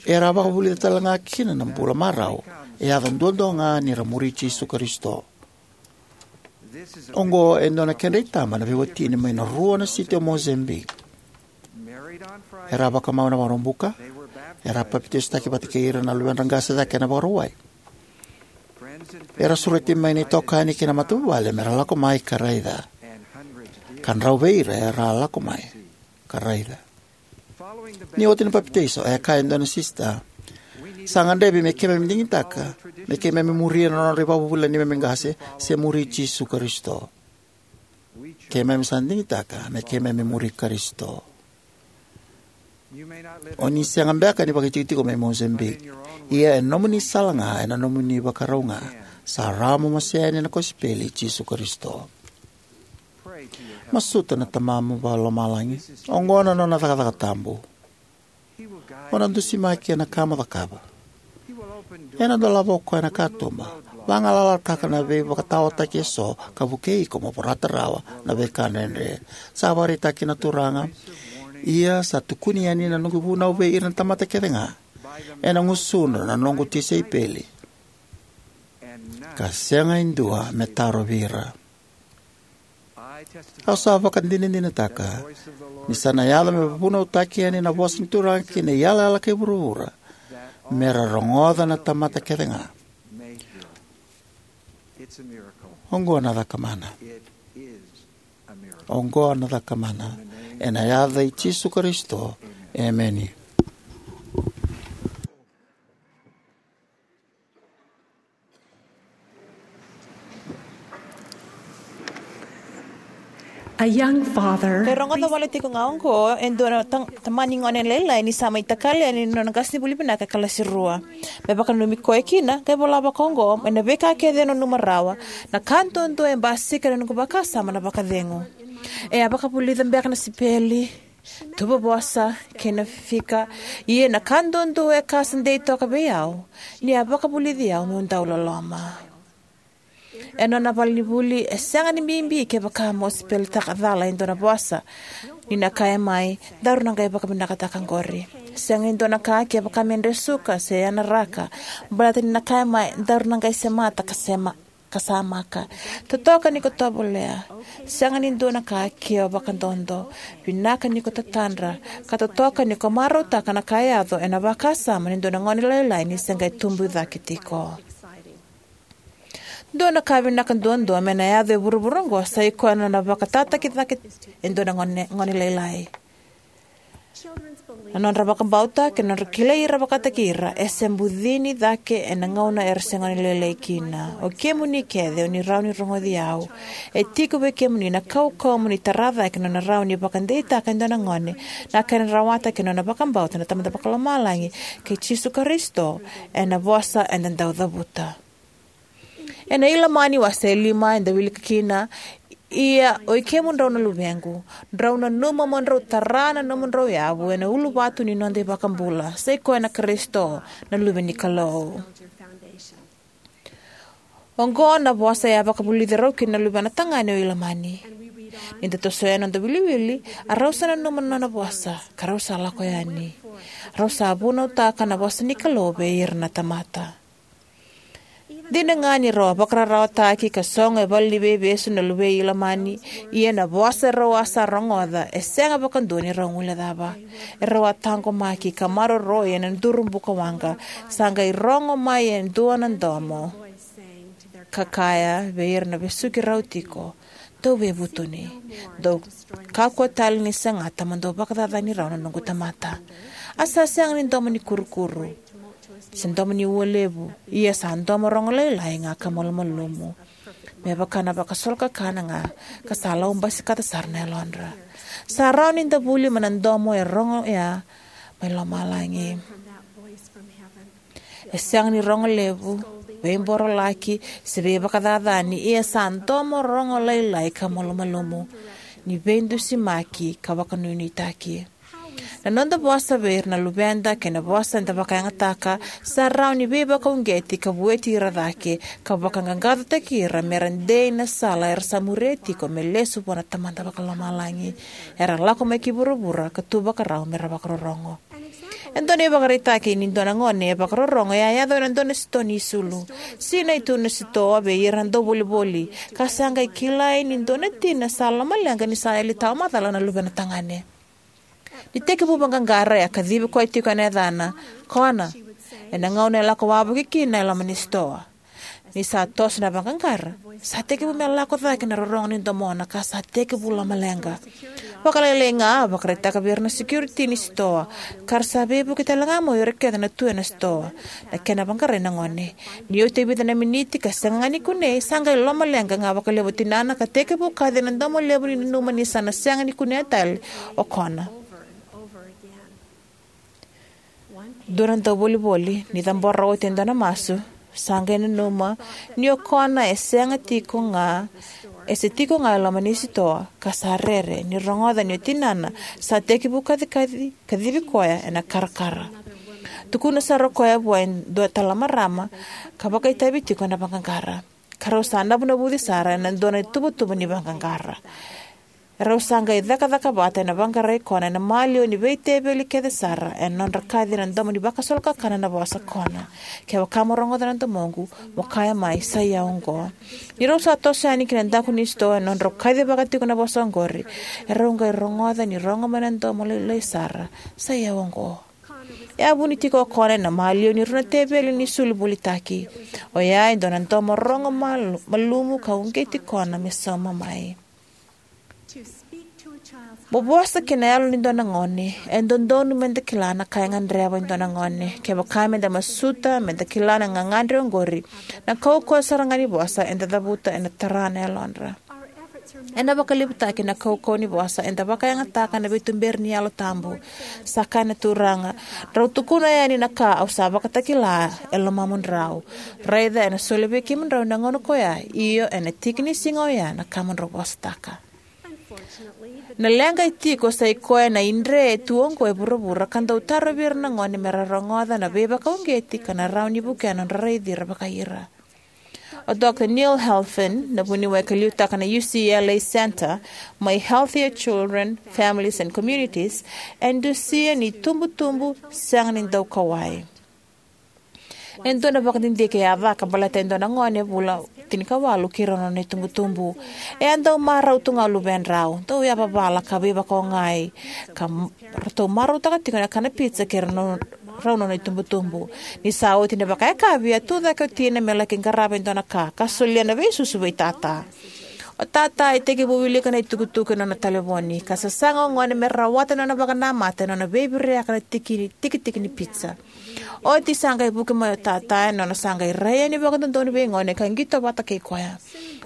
era a vakavulica tale ga kina na bula marau e yaco duadua ga ni ra muri Jisu Karisito. Oqo e dua na kedra itaba na veiwatini mai na rua na siti o Mozambique. Era a vakamau ena Vakaraubuka, era a papitaisotaki vata kei ira na luvedra qase cake ena Vakarauwai. Era sureti mai na itokani kei na matavuvale me ra lako mai ka raica. Ka drau vei ira era a lako mai ka raica. Ni oti na papitaiso, e kaya e dua na sisita, "Sa gadrevi me keimami digitaka me keimami muria na nodra ivakavuvuli na neimami qase se muri Jisu Karisito. Keimami sa digitaka me keimami muri Karisito." O ni sega beka ni vakaitikotiko mai Mozambique, ia e nomuni sala ga ena nomuni ivakarau ga. Sa rawa mo wasea yani na kosipeli i Jisu Karisito. Masuta na Tamamu Vakalomalagi. Oqo na nona cakacaka tabu. O na dusimaki ena ka mo cakava. Ena dolava o koya na katuba, vagalalataka na veivakataotaki eso, ka vukei iko mo vorata rawa na veika dredre. Sa vakaraitaki na Turaga, ia sa tukuni yani na noqu vunau vei ira na tamata kece ga, ena gusudra na noqu tisaipeli, ka sega e dua me tarovi ira. Au sa vakadinadinataka ni sa na yaco me vunautaki yani na vosa ni Turaga ki na iyalayala kei vuravura, me ra rogoca na tamata kece ga. Oqo na cakamana. Oqo na cakamana. Ena yaca i Jisu Karisito. Emeni. A young father. E rogoca wale tiko ga oqo e dua na tang- tamani gone lailai ni sa mai takali yani na nona qasenivuli vinaka e kalasi rua. Me vakananumi koya kina, qai vola vaka oqo, mai na veika kece e nanuma rawa, na ka duadua e basika ena noqu vakasama na vakacegu. E a vakavulica beka na sipeli, tubu vosa, kei na fika, ia na ka duadua e ka sa dei toka vei au, ni a vakavulici au meu dau loloma. E nona valenivuli e sega ni bibi kevaka mo sipelitaka cala e dua na vosa. Ni na kaya mai, daru na qai vakavinakataka oqori. Sega e dua na ka kevaka me dresuka se yana raka, baleta ni na kaya mai, daru na qai semata ka sema ka samaka. Totoka ni ko tovolea. Sega ni dua na ka ke o vakadodo. Vinaka ni ko tatadra. Ka totoka ni ko marautaka na ka e yaco ena vakasama ni dua na gone lailai ni se qai tubu cake tiko. Dua na ka vinaka duadua me na yaco e vuravura oqo sa i koya na nona vakatataki cake e dua na gone, gone lailai. Na nodra vakabauta kei na nodra kilai ira vakataki ira e se bucini cake ena gauna era se gone lailai kina. O kemuni kece o ni rawa ni rogoci au. E tiko vei kemuni na kaukauwa mo ni tara cake na nona rawa ni vakadeitaka e dua na gone na kena rawata kei na nona vakabauta na Tamada Vakalomalagi kei Jisu Karisito ena vosa eda dau cavuta. Ena Ilamani wase e lima eda wilika kina, ia o i kemudrau na luvequ, drau nanuma mo drau tara na nomudrau yavu ena uluvatu ni noda iVakabula, sa i koya na Karisito, na Luve ni Kalou. Oqo na vosa e a vakavulici rau kina na luvena tagane o Ilamani. Ni da tosoya na noda wiliwili, a rau sa nanuma na nona vosa, ka rau sa lako yani. Rau sa vunautaka na vosa ni Kalou vei ira na tamata. Dina ga ni rau a vakararawataki ka sogo e vale ni veivesu na luvei Ilamani, ia na vosa rau a sa rogoca e sega vakadua ni rau guilecava. E rau a taqomaki ka maroroi ena duru bukawaqa, sa qai rogo mai e dua na domo ka kaya vei ira na vesuki rau tiko, dou veivutuni, dou kakua tale ni sagata mo dou vakacacani rau na noqu tamata. A sa sega ni domo ni kurukuru se domo ni ua levu, ia sa domo rogo lailai ga ka malumalumu, me vaka na vakasolokakana ga, ka sa lau basikata sara na yalodra. Sa rawa ni da vuli mai na domo e rogo ya mai lomalagi. E sega ni rogo levu, veiborolaki, se veivakacacani, ia sa domo rogo lailai ka malumalumu, ni veidusimaki ka vakanuinuitaki. Na noda vosa vei ira na luveda kei na vosa eda vakayagataka sa rawa ni veivakauqeti ka vueti ira cake, ka vakaqaqacotaki ira me ra dei na sala era sa muria tiko me lesu vua na Tamada Vakalomalagi. Era lako mai ki vuravura ka tu vakarau me ra vakarorogo. E dua na ivakaraitaki ni dua na gone e vakarorogo e a yaco ena dua na sitoa ni isulu. Sinai tu na sitoa vei ira na dauvolivoli, ka sa qai kilai ni dua na tina sa lomaleqa ni sa yali tawamacala na luvena tagane. Ni tekivu vaqaqara, e a kacivi koya tiko ena yacana Kona, ena gauna e lako wavoki kina e loma ni sitoa. Ni sa toso na vaqaqara, sa tekivu me lako cake na rorogo ni domona ka sa tekivu lomaleqa. Vakalailai ga, a vakaraitaka vei ira na security ni sitoa, ka ra sa veivuke tale ga mai o ira kece na tu ena sitoa. Na kena vaqarai na gone. Ni oti e vica na miniti ka sega ga ni kunei, sa qai lomaleqa ga vakalevu o tinana ka tekivu kaci ena domo levu ni nanuma ni sa na sega ni kunea tale o Kona. Dua na dauvolivoli, ni cabora oti e dua na masu, sa qai nanuma ni o Kona e sega tiko ga, e se tiko ga e loma ni sitoa, ka sa rere ni rogoca ni o tinana sa tekivu kacikaci, kacivi koya ena karakara. Tukuna sara o koya vua e dua tale na marama ka vakaitavi tiko ena vaqaqara, ka rau sa navunavuci sara ena dua na ituvatuva ni vaqaqara. Rau sa qai cakacaka vata ena vaqarai Kona ena maliwa ni veiteveli kece sara ena nodra kaci ena domo ni vakasolo kakana na vosa Kona. Kevaka mo rogoca na domoqu, mo kaya mai, "Sa i au oqo." Ni rau sa toso yani ki na daku ni sitoa ena nodrau kacivaka tiko na vosa oqori, e rau qai rogoca ni rogo mai na domo lailai sara, "Sa i au oqo." E a vuni tiko o Kona ena maliwa ni rua na teveli ni sulu volitaki. Oya e dua na domo rogo malu-, malumu ka uqeti Kona me sauma mai. Mo vosa ki na yalo ni dua na gone, e dodonu meda kila na ka e gadreva e dua na gone. Kevaka meda masuta meda kila na gagadre oqori, na kaukauwa sara ga ni vosa eda cavuta ena tara na yalodra. Ena vakalevutaki na kaukauwa ni vosa eda vakayagataka na veituberi ni Yalo Tabu. Sa kaya na Turaga, "Drau tukuna yani na ka au sa vakatakila e lomamudrau. Raica ena soli vei kemudrau ena gauna ko ya, io, ena tiki ni siga oya na ka mo drau vosataka." Na leqa e tiko sa i koya na idre e tu oqo e vuravura ka dau tarovi ira na gone mera rogoca na veivakauqeti ka na rawa ni vukea na nodra raici ira vakai ira. O Dr Neil Helfand, na vuniwai ka liutaka na U C L A Center, mai Healthier Children, Families and Communities, e dusia ni tubutubu sega ni daukauwai. E dua na vakadidike e a caka baleta e dua na gone vula tinikawalu kei rau na nona itubutubu. E a dau marau tu ga o luvedrau, dau yavavala ka veivakaogai, ka m-, ratou marautaka tiko na kana pizza kei rau na, rau na nona itubutubu. Ni sa oti na vakayakavi, a tu cake o tina me laki qarava e dua na ka, ka solia na veisusu vei tata. O tata e tekivu wilika na itukutuku ena nona talevoni, ka sasaga o gone me rawata na nona vakanamata ena nona veiviriyaka na tiki, tikitiki ni pizza. Oti sa qai vuki mai o tata ena nona sa qai rai yani vakadodonu vei gone ka qito vata kei koya.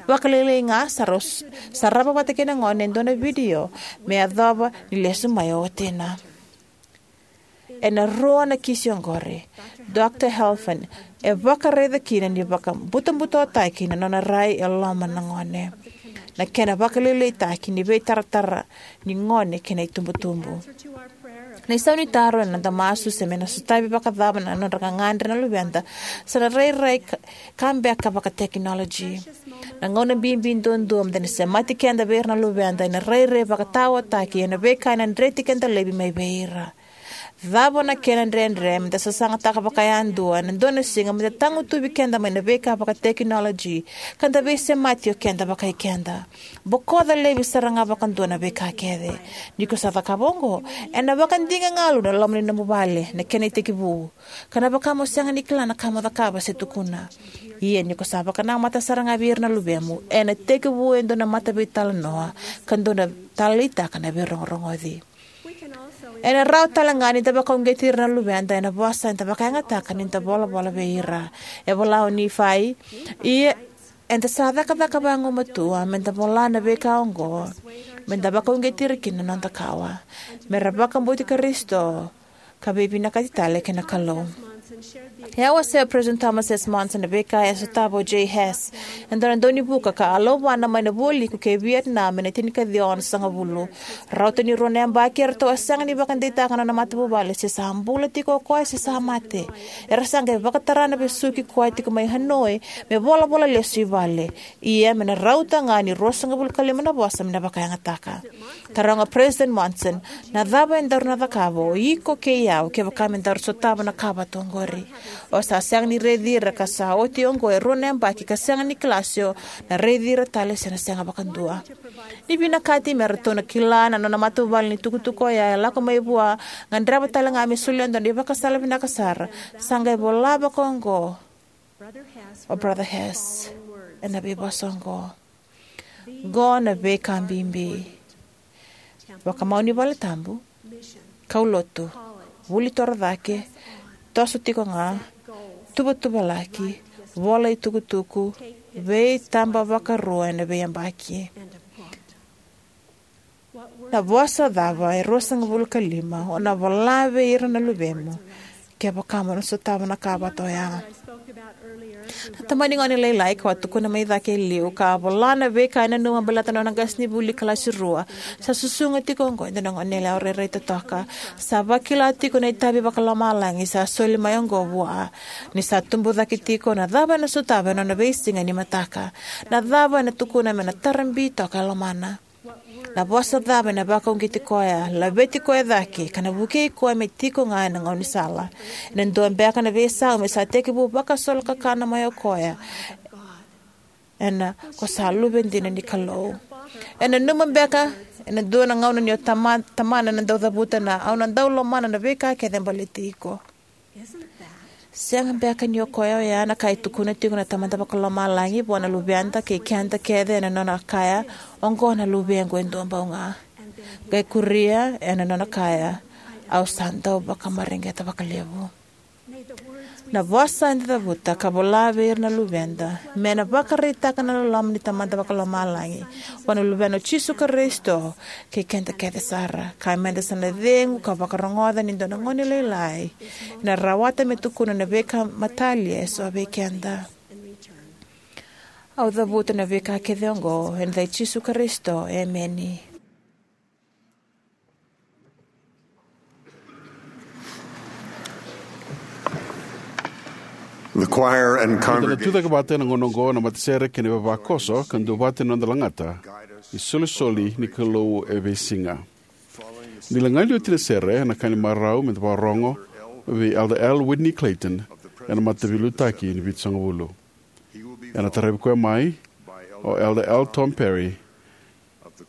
Vakalailai ga sa rau s-, sarava vata kei na gone e dua na vidio me yacova ni lesu mai o watina. Ena rua na kisi oqori, Dr Helfand e vakaraica kina ni vakabutabutawataki na nona rai e loma na gone, na kena vakalailaitaki ni veitaratara ni gone kei na itubutubu. Na isau ni taro ena noda masu se me na sotavi vakacava na nodra gagadre na luveda, sa na rairai ka, ka beka vakatekinoloji. Na gauna bibi duadua meda na semati keda vei ira na luveda ena rairai vakataotaki ena veika ena dreti keda laivi mai vei ira. Cava na kena dredre meda sasagataka vakayadua ena dua na siga meda tagutuvi keda mai na veika vakatekinoloji, ka da veisemati o keda vakai keda? Bokoca laivi sara ga vakadua na veika kece. Ni ko sa cakava oqo, ena vakadiga galu na loma ni nomu vale na kena itekivu, ka na vaka mo sega ni kila na ka mo cakava se tukuna. Ia ni ko sa vakanamata sara ga vei ira na luvemu, ena tekivu e dua na mataveitalanoa ka dua na taleitaka na veirogorogoci. Ena rawa tale ga ni da vakauqeti ira na luveda ena vosa eda vakayagataka ni da volavola vei ira. E vola o Nifai, ia eda sa cakacaka vagumatua meda vola na veika oqo, meda vakauqeti ira kina na noda kawa, mera vakabauti Karisito, ka veivinakati tale kei na Kalou. E a wasea o President Thomas S Monson na veika e sotava o Jay Hess, e dua na daunivuka ka a lauvana mai na vualiku kei Vietnam ena tinikaciwa onosagavulu. Rauta ni rua na yabaki eratou a sega ni vakadeitaka na nona matavuvale se sa bula tiko o koya se sa mate. Era sa qai vakatara na vesuki koya tiko mai Hanoi me volavola lesu i vale. Ia me na rauta ga ni ruasagavulu ka lima na vosa me na vakayagataka. Taroga President Monson, na cava e daru na cakava o iko kei au kevaka me daru sotava na ka vata oqori? O sa sega ni raici ira ka sa oti oqo e rua na yabaki ka sega ni kila se o na raici ira tale se na sega vakadua. Ni vinakati me ratou na kila na nona matavuvale ni tukutuku oya e lako mai vua, gadreva tale ga me solia dua na ivakasala vinaka sara, sa qai vola vaka oqo o Brother Hess ena veivosa oqo. Qo na veika bibi: vakamau ni valetabu, kaulotu, vuli torocake, toso tiko ga, tuvatuvalaki, vola itukutuku, veitaba vakarua ena veiyabaki. Na vosa cava e ruasagavulu ka lima o na vola vei ira na luvemu kevaka mo na sotava na ka vata oya. Na tamani gone lailai kau a tukuna mai cake e liu ka vola na veika e nanuma baleta na nona qasenivuli kalasi rua, sa susuga tiko oqo e dua na goneyalewa rairai totoka. Sa vakila tiko na itavi vakalomalagi sa soli mai oqo vua ni sa tubu cake tiko na cava ena sotava ena nona veisiga ni mataka. Na cava ena tukuna me na tarabi toka e lomana. Na vosa cava ena vakauqeti koya, laveti koya cake, ka na vukei koya me tiko ga ena gaunisala. Ena dua beka na veisau me sa tekivu vakasolokakana mai o koya ena ko sa luve dina ni Kalou. Ena nanuma beka ena dua na gauna ni o tama, tamana na dau cavuta na, au na dau lomana na veika kece e baleti iko. Sega beka ni o koya oya na ka e tukuna tiko na Tamada Vakalomalagi vua na luveda kei keda kece ena nona kaya, oqo na luvequ e dua bau ga. Qai kuria ena nona kaya, au sa dau vakamareqeta vakalevu. Na vosa eda cavuta ka vola vei ira na luveda me na vakaraitaka na loloma ni Tamada Vakalomalagi vua na Luvena o Jisu Karisito kei keda kece sara. Ka meda sa na cegu ka vakarogoca ni dua na gone lailai ena rawata me tukuna na veika matalia eso vei keda. Au cavuta na veika kece oqo ena yaca i Jisu Karisito, emeni. The choir and congregation. Eda na tucake vata ena gauna oqo na matasere kei na ivavakoso ka duavata ena noda lagata isolisoli ni Kalou e veisiga. Ni laga ni oti na sere, ena ka ni marau meda vakarorogo vei Elder L. Whitney Clayton ena mataveiliutaki ni Vitusagavulu. Ena taravi koya mai o Elder L. Tom Perry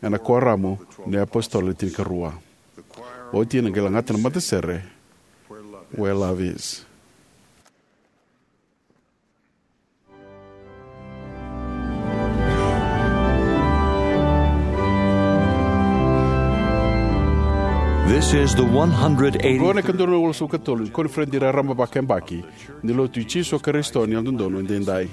ena Kuoramu ni iApositolo Le Tinikarua. Oti ena qai lagata na matasere Where Love Is. This is the one hundred eighty. Oqo na ikadua na walusagavulu ka tolu ni koniferedi raraba vakayabaki ni Lotu i Jisu Karisito ni Yalododonu Edaidai.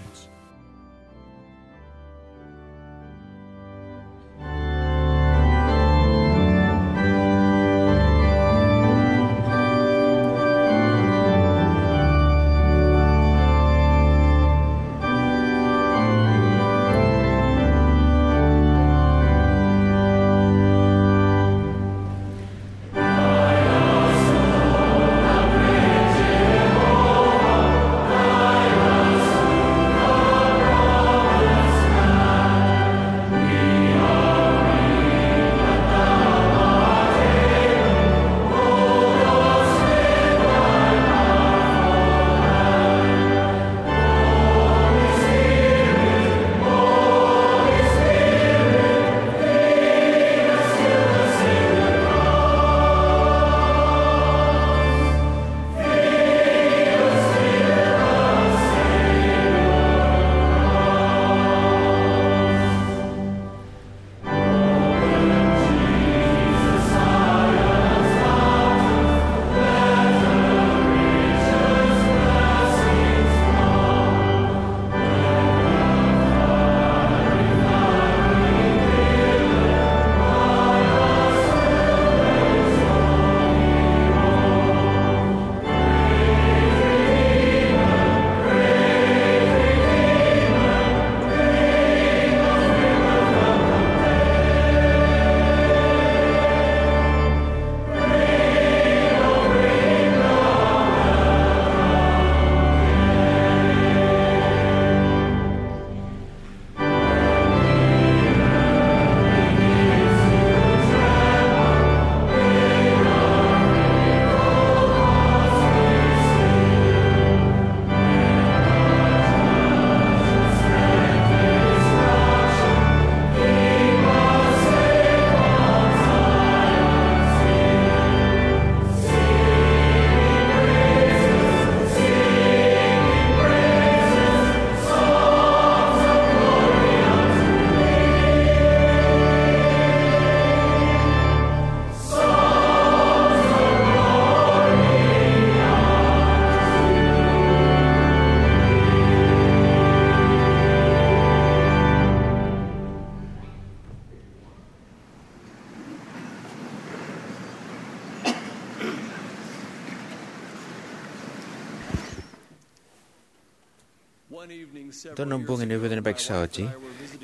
Dua na bogi ni vica na yabaki sa oti,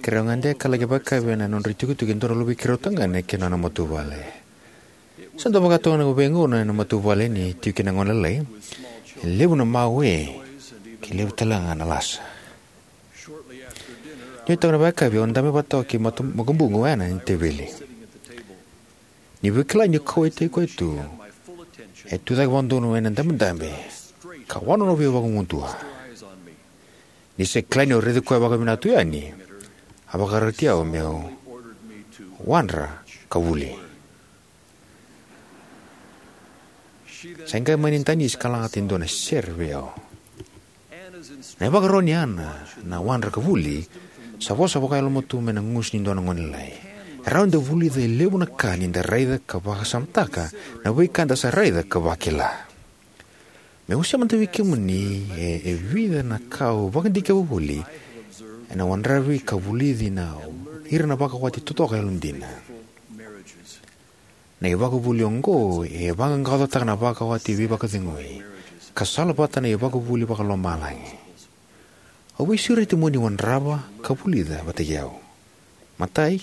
keirau gade ka laki vakayakavi ena nodra itukutuku e dua na luve i keirau tagane kei na nona matavuvale. Sa dau vakatoka na veigauna ena matavuvale ni tiko kina na gone lailai, e levu na mawe, kei levu talega na lasa. Ni oti toka na vakayakavi, au dabe vata toka kei matu- makubuqu Ana ni teveli. Ni via kila niu kauwaitaki koya tu, e tucake vakadodonu ena dabedabe ka wanonovi au vakagudua. Ni se kila niu raici koya vakavinaka tu yani, a vakaroti au meu wadra ka vuli. Sa qai mai na danisi ka lagata e dua na sere vei au. Na ivakaro nei Ana na wadra ka vuli sa vosa vakayalomatua mai na gusu ni dua na gone lailai. E rawa ni da vulica e levu na ka ni da raica ka vakasamataka na veika eda sa raica ka vakila. Meu wasea mada vei kemuni e, e vica na ka au vakadikeva voli ena wadravi ka vulici na ira na vakawati totoka yalodina. Na ivakavuvuli oqo e vaqaqacotaka na vakawati veivakacegui ka salavata na ivakavuvuli vakalomalagi. Au veisureti mo ni wadrava ka vulica vata kei au. Matai,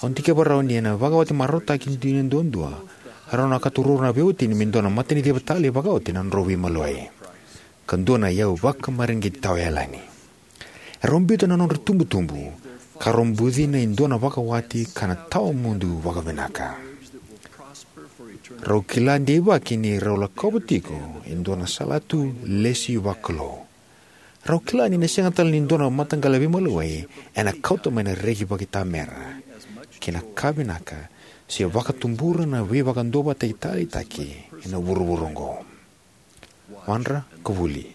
au dikeva rawa ni ena vakawati marautaki dina duadua, e rawa na ka tu ruarua na veiwatini me dua na mataniciva talei vakaoti na nodrau veimaliwai, ka dua na iyau vakamareqeti tawayalani. Erau biuta na nodra tubutubu ka rau bucina e dua na vakawati ka na tawamudu vakavinaka. Rau kila deivaki ni rau lakova tiko e dua na salatu lesi vakalou. Rau kila ni na sega tale ni dua na mataqali veimaliwai ena kauta mai na reki vakaitamera kei na ka vinaka se vakatubura na veivakaduavatataki taleitaki ena vuravura oqo. Wadra ka vuli.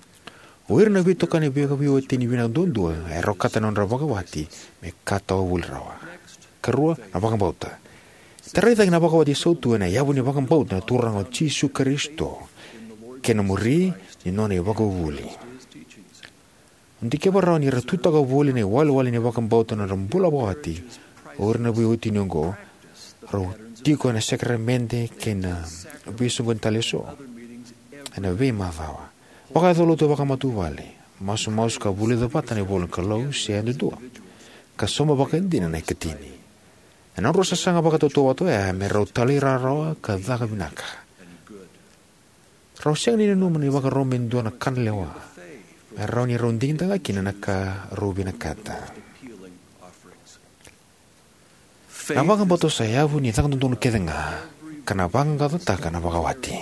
O ira na veitokani vakaveiwatini vinaka duadua e rau kata na nodra vakawati me ka tawa voli rawa. Karua, na vakabauta. Tarai cake na vakawati sautu ena yavu ni vakabauta na Turaga o Jisu Karisito kei na muri ni nona ivakavuvuli. Au dikeva rawa ni ra tutaka voli na iwalewale ni vakabauta na nodra bula vakawati o ira na veiwatini oqo. Rau tiko ena sakaramede kei na veisoqoni tale eso ena veimacawa, vakayacolotu vakamatavuvale, masumasu ka vulica vata na ivolanikalou se yadudua, ka sauma vakaidina na ikatini. Ena nodrau sasaga vakatautauvata oya me rau talairawarawa ka caka vinaka, rau sega ni nanuma na ivakaro me dua na ka na lewa, me rawa ni rau digitaka kina na ka rau vinakata. Na vakabauta sa yavu ni caka dodonu kece ga, ka na vaqaqacotaka na vakawati.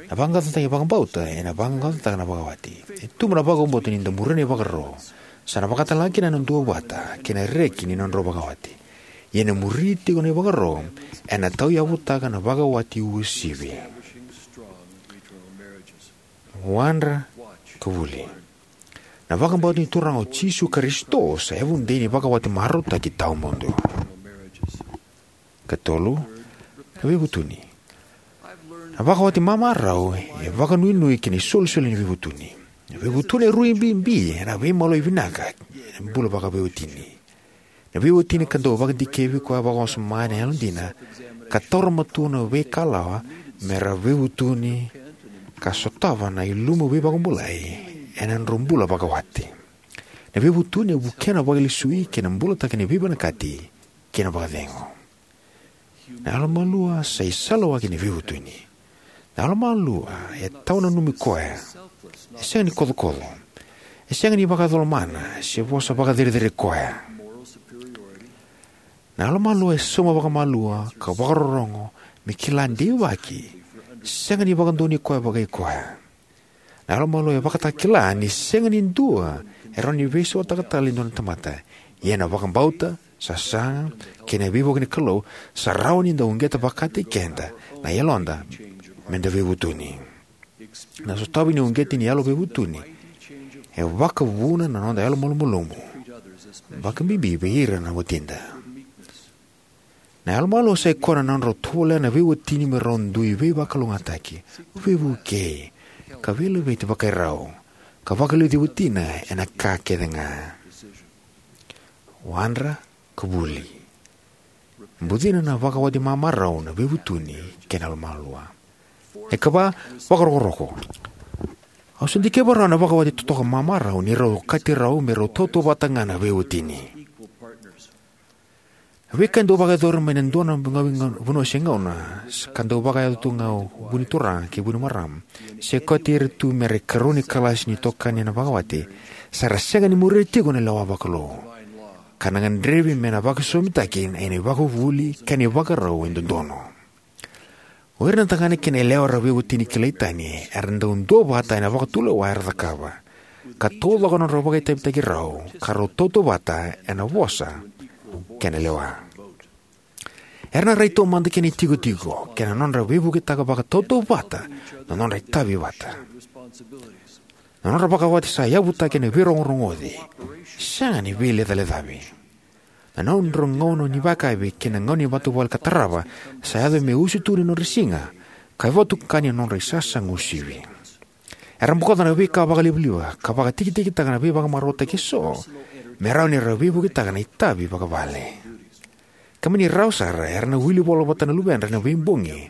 Na vaqaqacotaki vakabauta ena vaqaqacotaka na vakawati. E tubu na vakabauta ni da muria na ivakaro, sa na vakatalega kina na duavata kei na reki ni nodrau vakawati. Ia na muri tiko na ivakaro ena tauyavutaka na vakawati uasivi. Wadra ka vuli. Na vakabauta ni Turaga o Jisu Karisito sa yavudei ni vakawati marautaki tawamudu. Katolu, na veivutuni. Na vakawati mamarau e vakanuinui ki na isolisoli ni veivutuni. Na veivutuni e rui bibi ena veimaloi vinaka ena bula vakaveiwatini. Na veiwatini ka dau vakadikevi koya vakawasoma ena yalodina ka taura matua na veikalawa me ra veivutuni ka sotava na ilumu veivakabulai ena nodrau bula vakawati. Na veivutuni e vukea na vakalesui kei na bulataki ni veivinakati kei na vakacegu. Na yalomalua sa isalawaki ni veivutuni. Na yalomalua e tawa nanumi koya. E sega ni kocokoco. E sega ni vakayacalomana se vosa vakacerecerei koya. Na yalomalua e sauma vakamalua ka vakarorogo me kila deivaki. Sega ni vakadonui koya vakai koya. Na yalomalua e vakatakila ni sega ni dua e rawa ni veisautaka tale e dua na tamata. Ia na vakabauta, sasaga, kei na veivuke ni Kalou sa rawa ni da uqeta vakataki keda na yaloda me da veivutuni. Na sotavi ni uqeti ni yalo veivutuni e vakavuna na noda yalomalumalumu, vakabibi vei ira na watida. Na yalomalua sa ikoya na nodrau tovolea na veiwatini me rau dui veivakalougatataki, veivukei, ka veilaveti vakairau, ka vakaliuci watina ena ka kece ga. Wadra ka vuli. Bucina na vakawati mamarau na veivutuni kei na yalomalua. E kava, vakarokoroko. Au sa dikeva rawa na vakawati totoka mamarau ni rau okati rau me rau tautauvata ga na veiwatini. Na veika e dau vakayacori mai na dua na gauna, vanua se gauna, s- ka dau vakayaco tu ga o vu ni turaga kei vu ni marama, se okati ira tu me ra ikarua ni kalasi ni itokani ena vakawati, sa ra sega ni muria tiko na lewa vakalou, ka na gadrevi me na vakasosomitaki ena ivakavuvuli kei na ivakarau e dodonu. O ira na tagane kei na yalewa era veiwatini kilai tani era dau duavata ena vakatulewa era cakava, ka taucoko na nodra vakaitavitaki rau, ka rau tautauvata ena vosa kei na lewa. Era na rai taumada ki na itikotiko kei na nodra veivuketaka vakatautauvata na nodra itavi vata. Na nodra vakawati sa yavutaki ena veirogorogoci, sega ni veilecalecavei. Na nodra gauna ni vakayakavi kei na gauna ni matavuvale ka tarava sa yaco me usutu ni nodra siga, ka vakatokai ni nodra isasaga uasivi. Era bokoca na veika vakalivaliva ka vakatikitikitaka na veivakamarautaki eso me rawa ni ra veivuketaka na itavi vakavale. Ka mani rawa sara, era na wili vola vata na luvedra ena veibogi,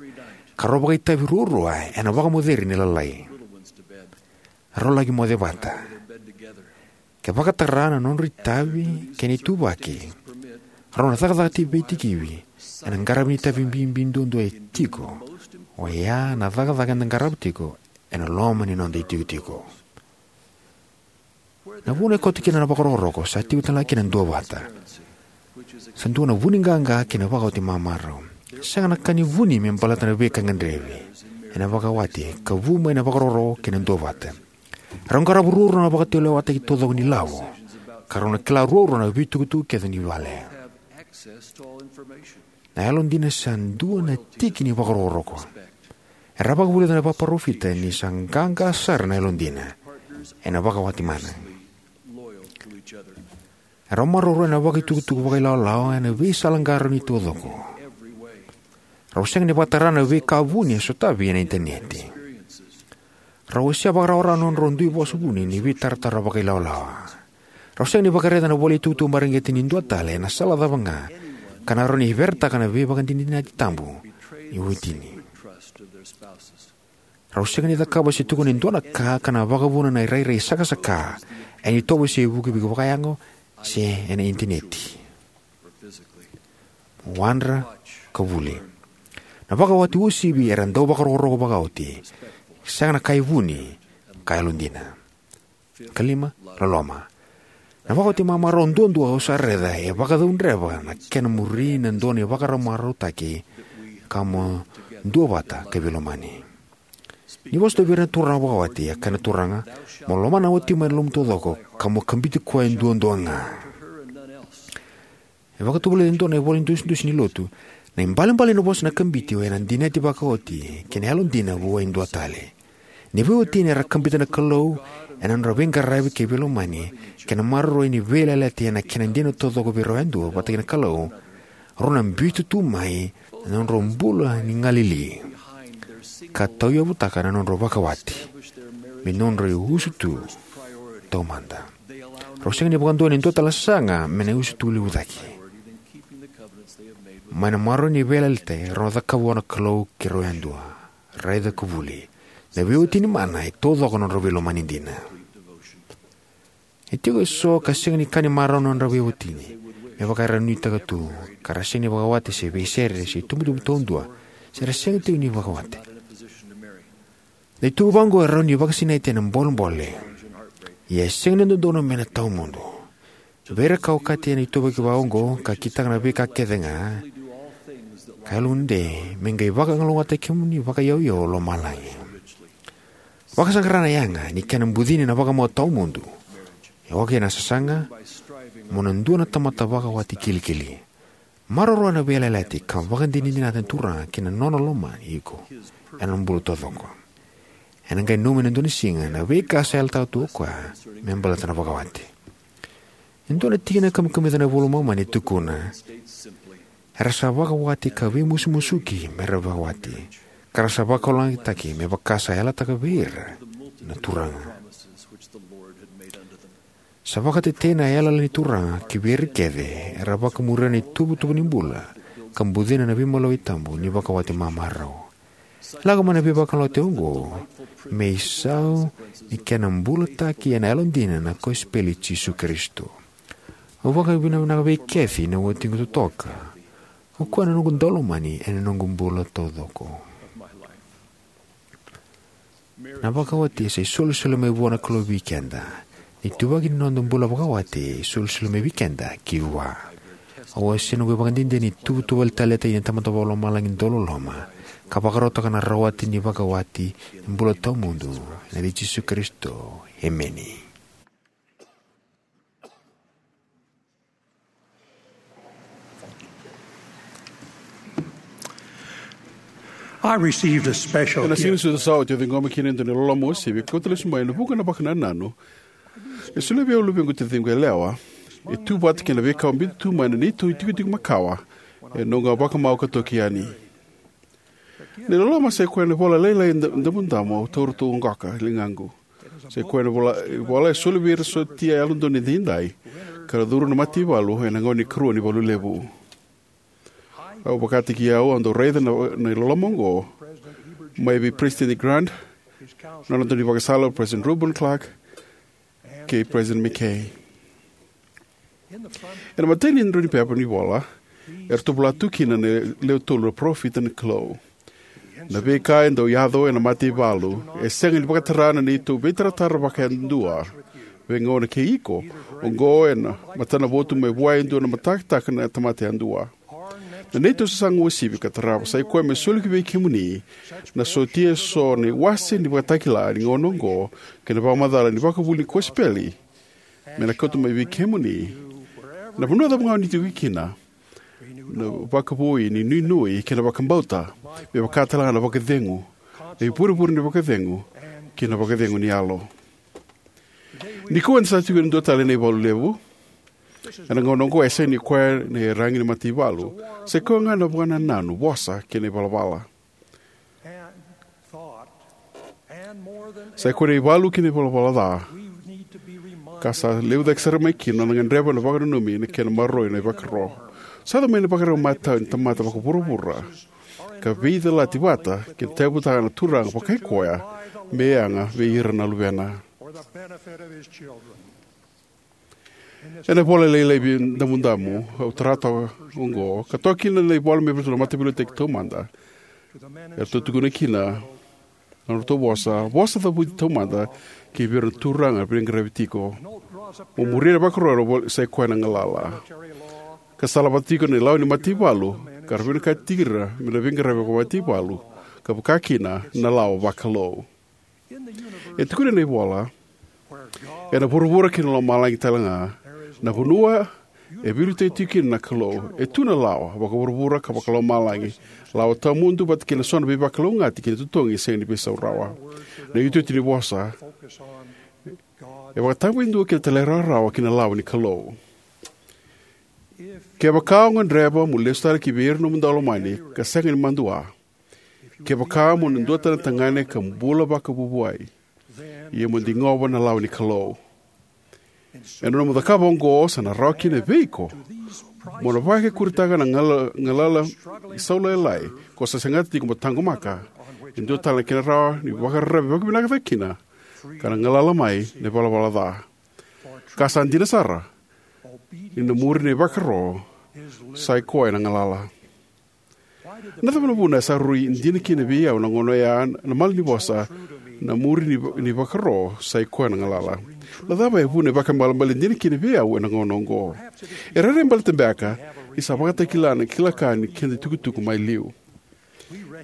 ka rau vakaitavi ruarua ena vakamoceri ni lalai. Rau laki moce vata. Ke vakatara na nodra itavi kei na ituvaki, rau na cakacaka vei tikivi ena qaravi ni itavi bibi duadua e tiko, oya na cakacaka eda qarava tiko ena loma ni noda itikotiko. Na vanua e koto kina na vakarokoroko sa tiko tale ga kina na duavata. Sa dua na vuni qaqa kei na vakawati mamarau. Sega na ka ni vuni me baleta na veika gadrevi ena vakawati ka vu mai na vakarokoroko kei na duavata. Rau qarava ruarua na vakatulewataki taucoko ni lavo, ka rau na kila ruarua na veitukutuku kece ni vale. Na yalodina sa dua na tiki ni vakarokoroko. Era vakavulica na vakaparofita ni sa qaqa sara na yalodina ena vakawati mana. Rau maroroya na vakaitukutuku vakailawalawa ena veisala qarauni taucoko. Rau sega ni vakatara na veika vuni e sotavi ena initaneti. Rau wasea vakarawarawa na nodrau dui vosa vuni ni veitaratara vakailawalawa. Rau sega ni vakaraica na ivola itukutuku mareqeti ni dua tale ena sala cava ga, ka na rawa ni veretaka na veivakadinadinati tabu ni waiwatini. Rau sega ni cakava se tukuna e dua na ka ka na vakavuna na irairai sakasaka ena itovo se ivukivuki vakayago se ena initaneti. Wadra ka vuli. Na vakawati uasivi era dau vakarokoroko vakaoti, sega na ka e vuni, ka yalodina. Ka lima, loloma. Na vakawati mamarau duadua au sa raica e vakacaudreva na kena muri na dua na ivakarau marautaki, ka mo duavata ka veilomani. Ni vosa tu vei ira na turaga vakawati, a kaya na Turaga, mo lomana na watimu ena lomamu taucoko, ka mo kabiti koya duadua ga. E vakatovolei e dua na ivola ni dusidusi ni lotu, na ibalebale ni vosa na kabiti oya na dinati vakaoti kei na yalodina vua e dua tale. Ni veiwatini era kabita na Kalou ena nodra veiqaravi kei veilomani, kei na maroroi ni veiyalayalati ena kena dina taucoko vei rau yadua vata kei na Kalou, rau na biuta tu mai na nodrau bula ni galili ka tauyavutaka na nodrau vakawati me nodrau iusutu taumada. Rau sega ni vakadua ena dua tale na sasaga me na iusutu levu cake. Mai na maroroi ni veiyalayalati rau na cakava vua na Kalou kei rau yadua. Raica ka vuli. Na veiwatini mana e taucoko na nodrau veilomani dina. E tiko eso ka sega ni ka ni marau na nodra veiwatini, me vaka era nuitaka tu, ka ra sega ni vakawati se veisere se itubutubu taudua, se ra sega tiko ni vakawati. Na itukutuku vaqo e rawa ni vakasinaiti ena bolebole, ia e sega ni dodonu me na tawamudu. Vei ira ka okati ena ituvaki vaqo ka kitaka na veika kece ga, ka yalodei me qai vakalougatataki kemuni vakayauyau o lomalagi. Vakasaqara na yaga ni kena bucini na vakamau tawamudu. E oka ena sasaga mo na dua na tamata vakawati kilikili. Maroroya na veiyalayalati ka vakadinadinataka na Turaga kei na nona lomani iko ena bula taucoko. Ena qai nanumi ena dua na siga na veika sa yalataka tu o koya me baleta na vakawati. E dua na tikina kamikamica na iVola i Momani e tukuna, era sa vakawati ka veimusumusuki me ra vakawati, ka ra sa vakalougatataki me vaka sa yalataka vei ira na Turaga. Sa vakatetei na yalayala ni Turaga ki vei ira kece era vakamuria na ituvatuva ni bula ka bucina na veimalua tabu ni vakawati mamarau. Lako mai na veivakalougatataki oqo me isau ni kena bulataki ena yalodina na kosipeli i Jisu Karisito. Au vakavinavinaka vei Kathy, na watiqu totoka. O koya na noqu daulomani ena noqu bula taucoko. Na vakawati sa isolisoli mai vua na Kalou vei keda. Ni tuvaki ni noda bula vakawati, e isolisoli mai vei keda ki Vua. Au wasea noqu ivakadinadina ni tuvatuva tale e na Tamada Vakalomalagi dauloloma, ka vakarautaka na rawati ni vakawati ni bula tawamudu, ena yaca i Jisu Karisito. Emeni. I received a special Ena siga ni gift. Sucu sa oti, au ciqoma kina e dua na iloloma uasivi, kauta lesu mai ena vuqa na vakanananu e solia vei au na luvequ taciqu yalewa. E tu vata kei na veika au biuta tu mai na neitou itikotiko makawa ena noqu a vakamau ka toki yani. Na iloloma sa i koya na ivola lailai da-, damudamu au taura tu oqo ka ligaqu. Sa i koya na ivola, ivola e soli vei ira sotia yalododonu edaidai ka ra curu na mataivalu ena gauna ni karua ni valu levu. Au vakataki au, au dau raica na, na iloloma oqo mai vei President Grant, na nona daunivakasala o President Reuben Clark, kei President McKay. Ena imatai ni draunipepa ni ivola, eratou vola tu kina na lewe tolu na parofita ni Kalou. Na veika e dau yaco ena mataivalu e sega ni vakatara na neitou veitaratara vakayadua. Veigauna kei iko, oqo ena matanavotu mai vua e dua na matakitaka na tamata yadua. Na neitou sasaga uasivi ka tarava sa i koya me soli ki vei kemuni na sotia eso na iwase ni vakatakila ni gauna oqo kei na vakamacala ni vakavuli ni kosipeli, me na kauta mai vei kemuni, na vanua cava ga o ni tiko kina, na vakavoui ni nuinui kei na vakabauta, me vaka tale ga na vakacegu, na ivurevure ni vakacegu, kei na vakacegu ni yalo. Nikua eda sa tiko ena dua tale na ivalu levu. Ena gauna oqo e sega ni koya na iyaragi ni mataivalu, sa i koya ga na vakanananu, vosa, kei na ivalavala. Sa i koya na ivalu kei na ivalavala ca. Ka sa levu cake sara mai kina na gadreva na vakananumi na kena maroroi na ivakaro. Sa yaco mai na ivakarau matau ni tamata vakavuravura ka veicalati vata kei na tauyavutaka na Turaga vakai koya me yaga vei ira na luvena. Ena ivola lailai vei damudamu au tara toka oqo, ka toka kina na ivola me vei iratou na mataveiliutaki taumada, eratou tukuna kina na nodratou vosa, vosa cavuti taumada ki vei ira na turaga era veiqaravi tiko. Mo muria na ivakaro era vo-, sa i koya na galala. Ka salavata tiko na ilawa ni mataivalu ka ra vinakati tiko ira me na veiqaravi vakamataivalu, ka vaka kina na lawa vakalou. E tukuna na ivola, ena vuravura kei na lomalagi tale ga, na vanua e veiliutaki tiko kina na Kalou, e tu na lawa vakavuravura ka vakalomalagi, lawa tawamudu vata kei na so na veivakalougatataki kei na totogi e sega ni veisau rawa. Na iotioti ni vosa e vakatabakidua kei na talairawarawa ki na lawa ni Kalou. Kevaka o gadreva mo lesu tale ki vei ira na nomu daulomani ka sega ni madua, kevaka mo na dua tale na tagane ka bula vakavuavuai, ia mo digova na lawa ni Kalou. Ena nomu cakava oqo sa na rawa kina vei iko mo na vakaikuritaka na gala-, galala isau lailai ko sa segata tiko mo taqomaka. E dua tale na kena rawa ni vakararavi vakavinaka cake kina ka na galala mai na ivalavala ca. Ka sa dina sara, ni na muri na ivakaro sa i koya na galala. Na cava na vuna e sa rui dina kina vei au na gauna oya na malanivosa, na muri ni, ni vakaro sa i koya na galala? Na cava e vuna e vakaibalebale dina kina vei au ena gauna oqo? E rairai baleta beka ni sa vakatakila na kila ka ni keda itukutuku mai liu.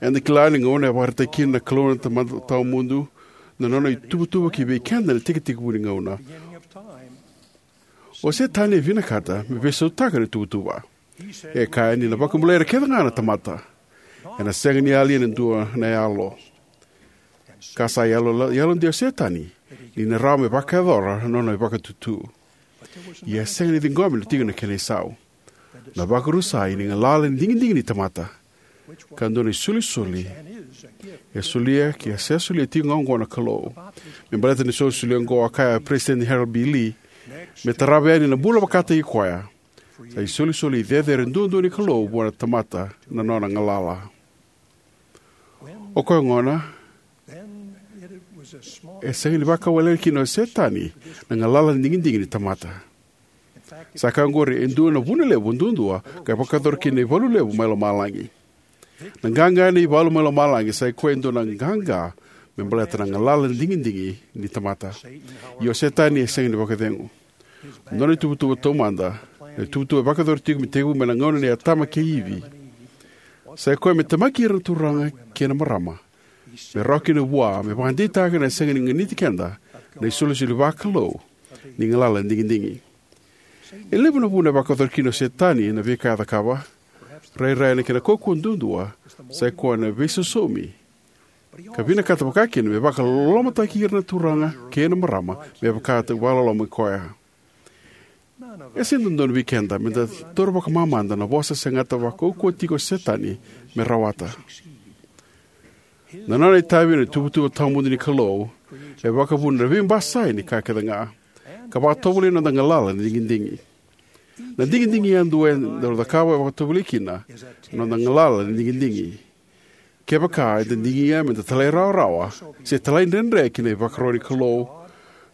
Eda kila ni gauna e vakaraitaka kina na Kalou na Tamada Tawamudu na nona ituvatuva ki vei keda ena tekitekivu ni gauna. O Setani e vinakata me veisautaka na ituvatuva. E kaya ni na vakabulai ira kece ga na tamata. Ena sega ni yali ena dua na yalo. Ka sa yalo, yalodei o Setani ni na rawa me vakayacora na nona ivakatutu. Ia e sega ni ciqomi na tiko na kena isau. Na vakarusai ni galala ni digidigi ni tamata, ka dua na isolisoli e solia, ke a se solia tiko ga oqo na Kalou. Me baleta na isolisoli oqo, a kaya o President Harold B. Lee, me tarava yani na bula vakataki koya, sa isolisoli cecere duadua ni Kalou vua na tamata na nona galala. O koya gona, e sega ni vakawalena kina o Setani na galala ni digidigi ni tamata. Sa ka oqori e dua na vuna levu duadua ka vakayacora kina na ivalu levu mai lomalagi. Na qaqa ena ivalu mai lomalagi sa i koya e dua na qaqa me baleta na galala ni digidigi ni tamata. Ia o Setani e sega ni vakacegu. Nona ituvatuva taumada, na ituvatuva e vakayacora tiko me tekivu mai na gauna nei Atama kei Ivi, sa i koya me temaki ira na turaga kei na marama, me rawa kina vua me vakadeitaka na sega ni ganiti keda na isolisoli vakalou ni galala ni digidigi. E levu na vuna e vakayacora kina o Setani na veika e cakava. Rairai na kena kaukauwa duadua sa i koya na veisosomi, ka vinakata vakakina me vakalolomataki ira na turaga kei na marama me vaka e vakalolomi koya. E sega ni dodonu vei keda me da taura vakamamada na vosa se gata vakaukauwa tiko o Setani me rawata. Na nona itavi na ituvatuva tawamudu ni Kalou e vakavuna na veibasai ni ka kece ga, ka vakatovolei na noda galala ni digidigi. Na digidigi yadua eda cakava e vakatovolei kina na noda galala ni digidigi. Kevaka eda digia me da talairawarawa se talaidredre ki na ivakaro ni Kalou,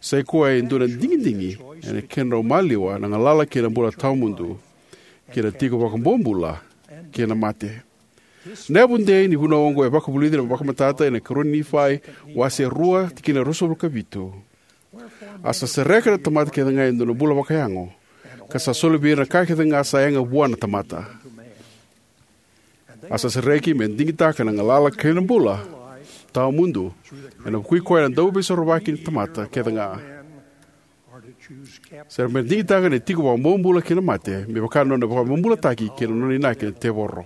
sa i koya e dua na digidigi ena kedrau maliwa na galala kei na bula tawamudu, kei na tiko vakabobula kei na mate. Na yavu dei ni vunau oqo e vakavulici ena vakamatata ena ikarua ni Nifai, wase rua, tikina ruasagavulu ka vitu. A sa sereka na tamata kece ga e dua na bula vakayago, ka sa soli vei ira na ka kece ga sa yaga vua na tamata. A sa sereki me digitaka na galala kei na bula tawamudu ena vukui koya na dauveisorovaki ni tamata kece ga. Se me digitaka na tiko vakabobula kei na mate, me vaka na nona vakabobulataki kei na nona inaki na tevoro.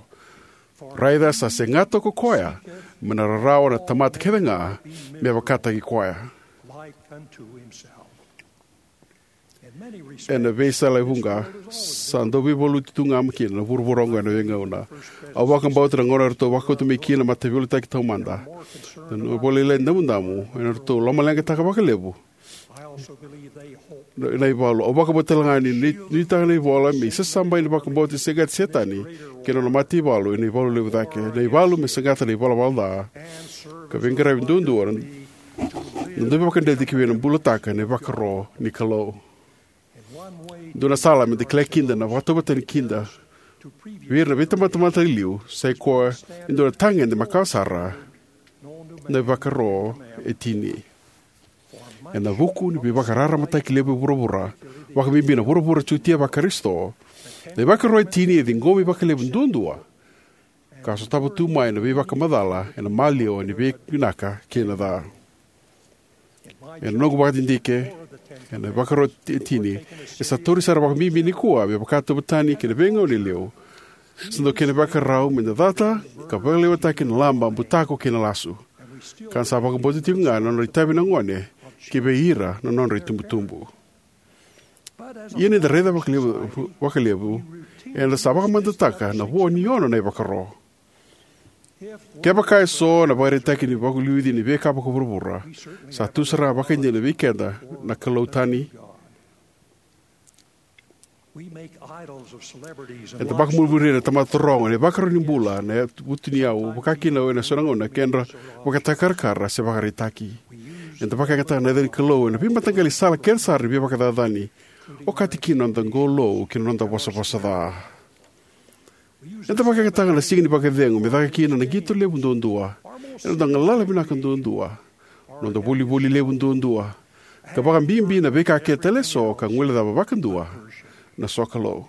Raica sa segata ko koya me na rarawa na tamata kece ga me vakataki koya. Ena veisala e vuqa, sa dau veivaluti tu ga mai kina na vuravura oqo ena veigauna. Au vakabauta na gauna eratou vakauta mai kina na mataveiliutaki taumada, na nona ivola Damudamu, eratou lomaleqataka vakalevu na, na ivalu. Au vakabauta tale ga ni, ni, ni taka na ivola me isasabai na vakabauta ni segata Setani kei na nona mataivalu ena ivalu levu cake. Na ivalu me segata na ivalavala ca ka veiqaravi duadua na, na dau veivakadreti ki vei na bulataka na ivakaro ni Kalou. Dua na sala me da kila kina na vakatauvatani kina vei ira na veitabatamata e liu sa i koya e dua na tagede makawa sara, na ivakaro e tini. Ena vuku ni veivakararamataki levu e vuravura, vakabibi na vuravura Jutia Vakarisito, na ivakaro e tini e ciqomi vakalevu duadua, ka sotava tu mai na veivakamacala ena maliwa ni veivinaka kei na ca. Ena noqu vakadidike, ena ivakaro e tini e sa tauri sara vakabibi nikua me vakatauvatani kei na veigauna e liu, sa dau kena ivakarau me da cata ka vakalewataki na laba, butako kei na lasu. Ka da sa vakabauta tiko ga na nodra itavi na gone ki vei ira na nodra itubutubu. Ia ni da raica vakalevu, vakalevu, eda sa vakamamadataka na vo ni ono na ivakaro. Kevaka eso na ivakaraitaki ni vakaliuci ni veika vakavuravura, sa tu sara ga vakaidina vei keda na kalou tani. Eda vakamuri na tamata taroga, na ivakaro ni bula, na vutuniyau, vaka kina ena so na gauna kedra vakatakarakara se vakaraitaki. Eda vakayagataka na yaca ni Kalou ena veimataqali sala kece sara ni veivakacacani, okati kina na noda qolou kei na noda vosavosa ca. Eda vakayagataka na siga ni vakacegu me caka kina na qito levu duadua, ena noda galala vinaka duadua, noda volivoli levu duadua, ka vakabibi na veika kece tale eso ka guilecava vakadua na sokalou.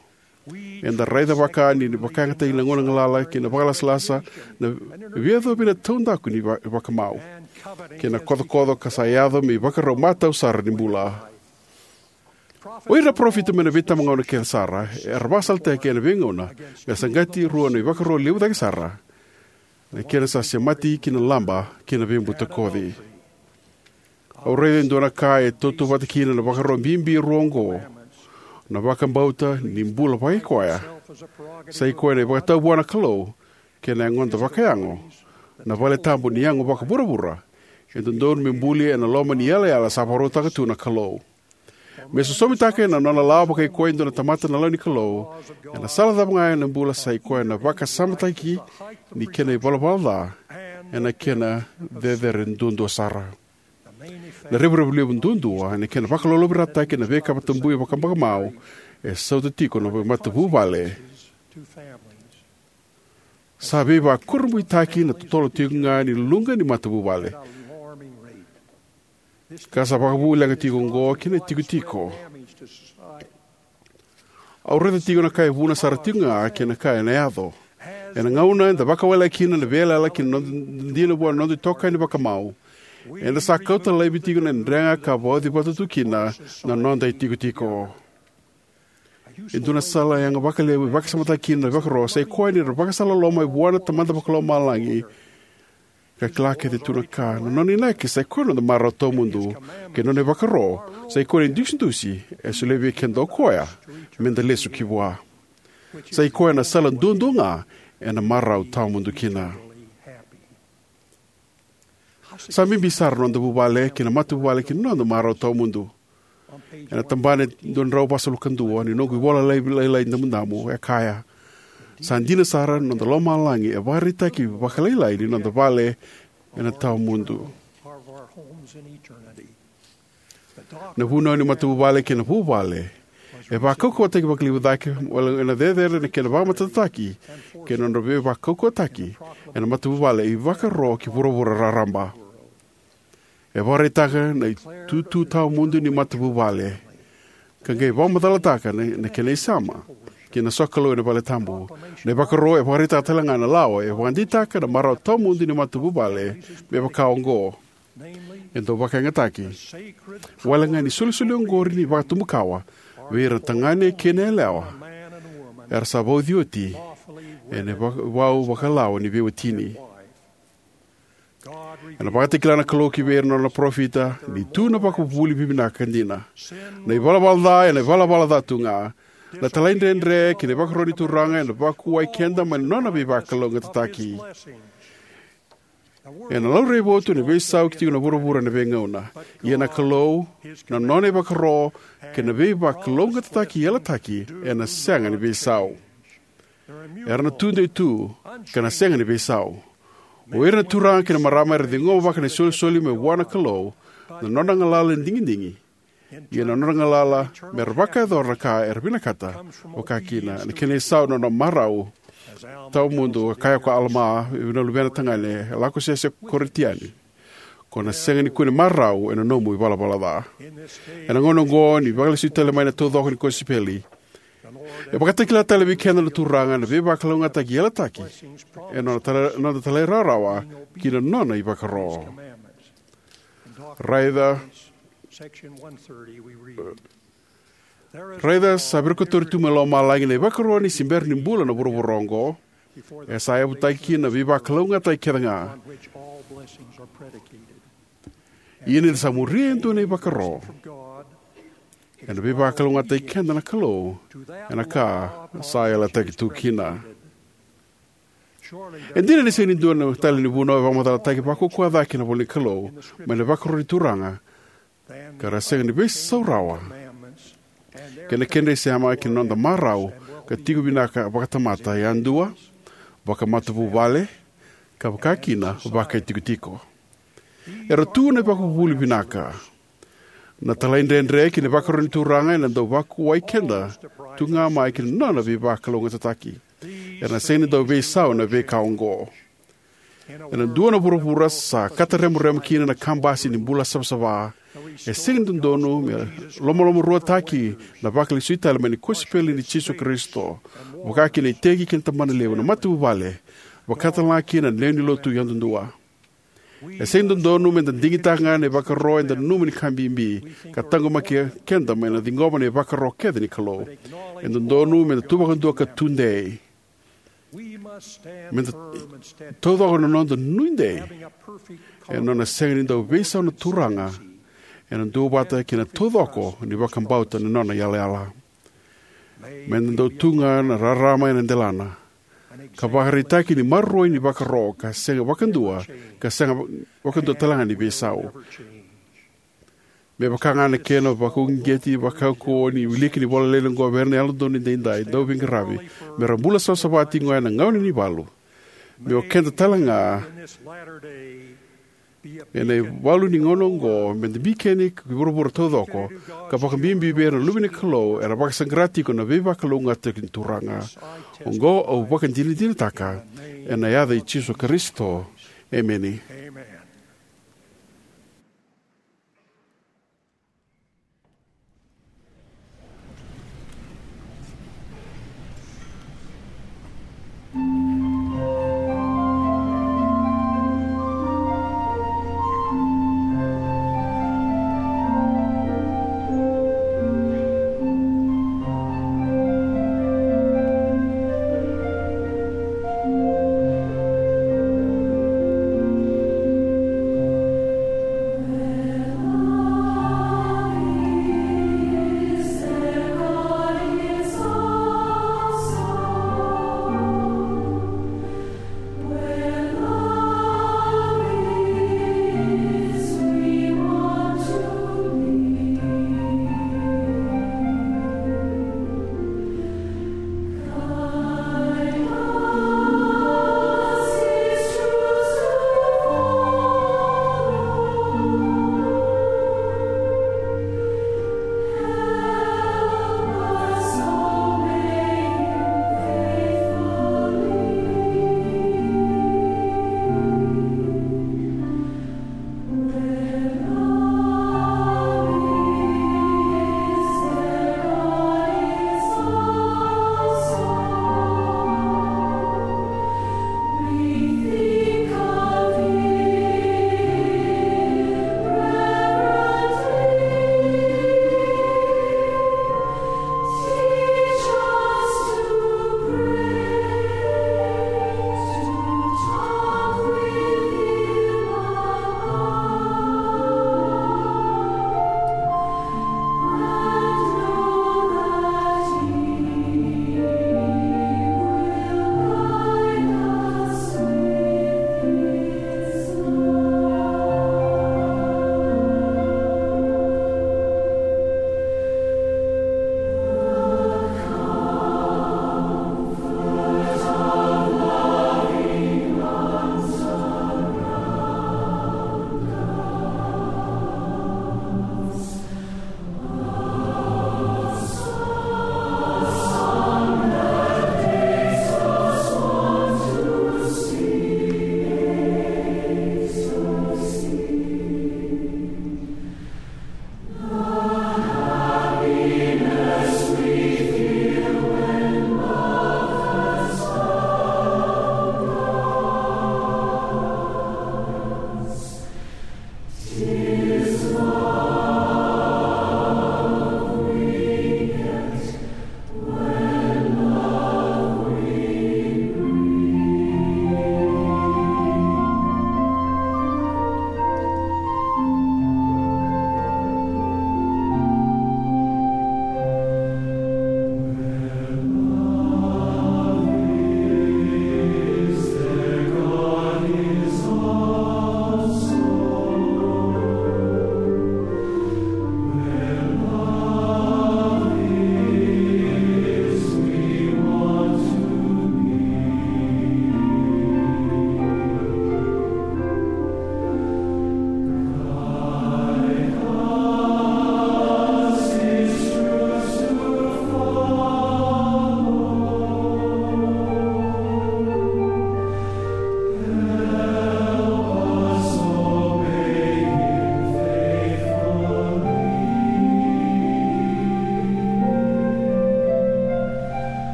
Eda raica vaka ni, ni vakayagataki na gauna galala kei na vakalasalasa na veiyacovi na taudaku ni va-, vakamau kei na kocokoco ka sa yaco me ivakarau matau sara ni bula. O ira na parofita mai na veitabagauna kece sara era vakasalataki ena veigauna me saqati rua na ivakaro levu cake sara, na kena sa semati ki na laba kei na veibutakoci. Au raica e dua na ka e tautauvata kina na ivakaro bibi rua oqo, na vakabauta ni bula vakaikoya, sa i koya na ivakatawa vua na Kalou, kei na yagoda vakayago, na valetabu ni yago vakavuravura e dodonu me buli ena loma ni yalayala sa vakarautaka tu na Kalou. Me sosomitaka ena nona lawa vakaikoya e dua na tamata na lawa ni Kalou, ena sala cava ga ena bula, sa i koya na vakasamataki ni kena ivalavala ca ena kena cecere duadua sara. Na revurevu levu duadua ena kena vakalolovirataki na veika tabui vakabakamau e sautaka tiko na matavuvale. Sa veivakurabuitaki na totolo tiko ga ni luqa ni matavuvale, ka sa vakavuleqa tiko oqo ki na itikotiko. Au raica tiko na ka e vuna sara tiko ga kei na ka ena yaco. Ena gauna eda vakawalena kina na veiyalayala kei na noda dina vua na noda itokani vakamau, eda sa kauta laivi tiko na drega ka vauci vata tu kina na noda itikotiko. E dua na sala yaga vakalevu e vakasamataki kina na ivakaro sa ikoya ni ra vakasala loloma mai vua na Tamada Vakalomalagi, ka kila kece tu na ka. Na nona inaki sa ikoya na noda marau tawamudu, kei na nona ivakaro sa ikoya na idusidusi e solia vei keda o koya meda lesu ki vua. Sa ikoya na sala duadua ga ena marau tawamudu kina. Sa bibi sara na noda vuvale kei na matavuvale ki na noda marau tawamudu. Ena tabana e dua na drau vasagavulu ka dua ni noqu ivola lailai damudamu, e kaya: Sa dina sara, na noda lomalagi e vakaraitaki vakalailai ni noda vale ena tawamudu. Na vunau ni matavuvale kei na vuvale e vakaukauwataki vakalevu cake, wale ena cecere na kena vakamatatataki kei na nodra veivakaukauwataki ena matavuvale, ivakaro ki vuravura raraba. E vakaraitaka na itutu tawamudu ni matavuvale, ka qai vakamacalataka na, na kena isema kei na sokalou ena valetabu. Na ivakaro e vakaraitaka tale ga na lawa e vakadeitaka na marau tawamudu ni matavuvale, me vaka oqo: E dau vakayagataki wale ga ni solisoli oqori ni vakatubukawa vei ira na tagane kei na yalewa era sa vauci oti ena va-, vau vakalawa ni veiwatini. Ena vakatakila na Kalou ki vei ira na nona parofita ni tu na vakavuvuli vivinaka dina. Na ivalavala ca ena ivalavala ca tu ga. Na talaidredre kei na ivakaro ni Turaga ena vakuwai keda mai na nona veivakalougatataki. Ena laurai votu ena veisau ki tiko na vuravura ena veigauna. Ia na Kalou, na nona ivakaro, kei na veivakalougatataki yalataki ena sega ni veisau. Era na tudei tu, ka na sega ni veisau. O ira na turaga kei na marama era ciqoma vaka na isolisoli mai vua na Kalou, na nona galala ni digidigi. Ia na nodra galala me ra vakayacora na ka era vinakata vakakina. Na kena isau na nona marau tawamudu, ka kaya ko Alama vei na luvena tagane, e lako sese ko Korianitoni: Ko na sega ni kune marau ena nomu ivalavala ca. Ena gauna oqo ni vakalesui tale mai na taucoko ni kosipeli, e vakatakila tale vei keda na Turaga na veivakalougatataki yalataki ena nona tala-, noda talairawarawa ki na nona ivakaro. Raica, raica sa virikotori tu mai lomalagi na ivakaro ni se bera ni bula na vuravura oqo. E sa yavutaki kina na veivakalougatataki kece ga. Ia ni da sa muria e dua na ivakaro, ena veivakalougatataki keda na Kalou ena ka sa yalataki tu kina. E dina ni sega ni dua na tale ni vunau e vakamacalataki vakaukauwa cake ena ivola ni Kalou mai na ivakaro ni Turaga, ka ra sega ni veisau rawa kei na kedra isema ki na noda marau ka tiko vinaka vakatamata yadua, vakamatavuvale, ka vakakina vakaitikotiko. Era tu na ivakavuvuli vinaka. Na talaidredre kei na ivakaro ni Turaga ena dau vakuwai keda tu ga mai ki na nona veivakalougatataki. Era na sega ni dau veisau na veika oqo. Ena dua na vuravura sa katareborebo kina na kabasi ni bula savasava, e sega ni dodonu me lomalomaruataki na vakalesui tale mai ni kosipeli ni Jisu Karisito, vakakina na iteki kei na tabanalevu, na matavuvale, vaka talega kina na lewe ni lotu yadudua. E sega ni dodonu me da digitaka ga na ivakaro eda nanuma ni ka bibi, ka taqomaki keda mai na ciqoma na ivakaro kece ni Kalou. E dodonu me da tu vakadua ka tudei. Me da taucoko na noda nuidei ena nona sega ni dau veisau na Turaga, ena duavata kei na taucoko ni vakabauta na nona yalayala. Me da dau tu ga na rarama ena delana, ka vakaraitaki ni maroroi ni vakaro ka sega vakadua, ka sega vakadua talega ni veisau. Me vaka ga na kena vakauqeti, vakaukauwa ni wiliki ni ivola lailai oqo vei ira na Yalododonu Edaidai, dauveiqaravi, me ra bula savasava tiko ga ena gauna ni valu. Me o keda tale ga ena ivalu ni gauna oqo, me da bikeni ki vuravura taucoko, ka vakabibi vei ira na luve ni Kalou era vakasaqara tiko na veivakalougatataki ni Turaga. Oqo au vakadinadinataka ena yaca i Jisu Karisito. Emeni.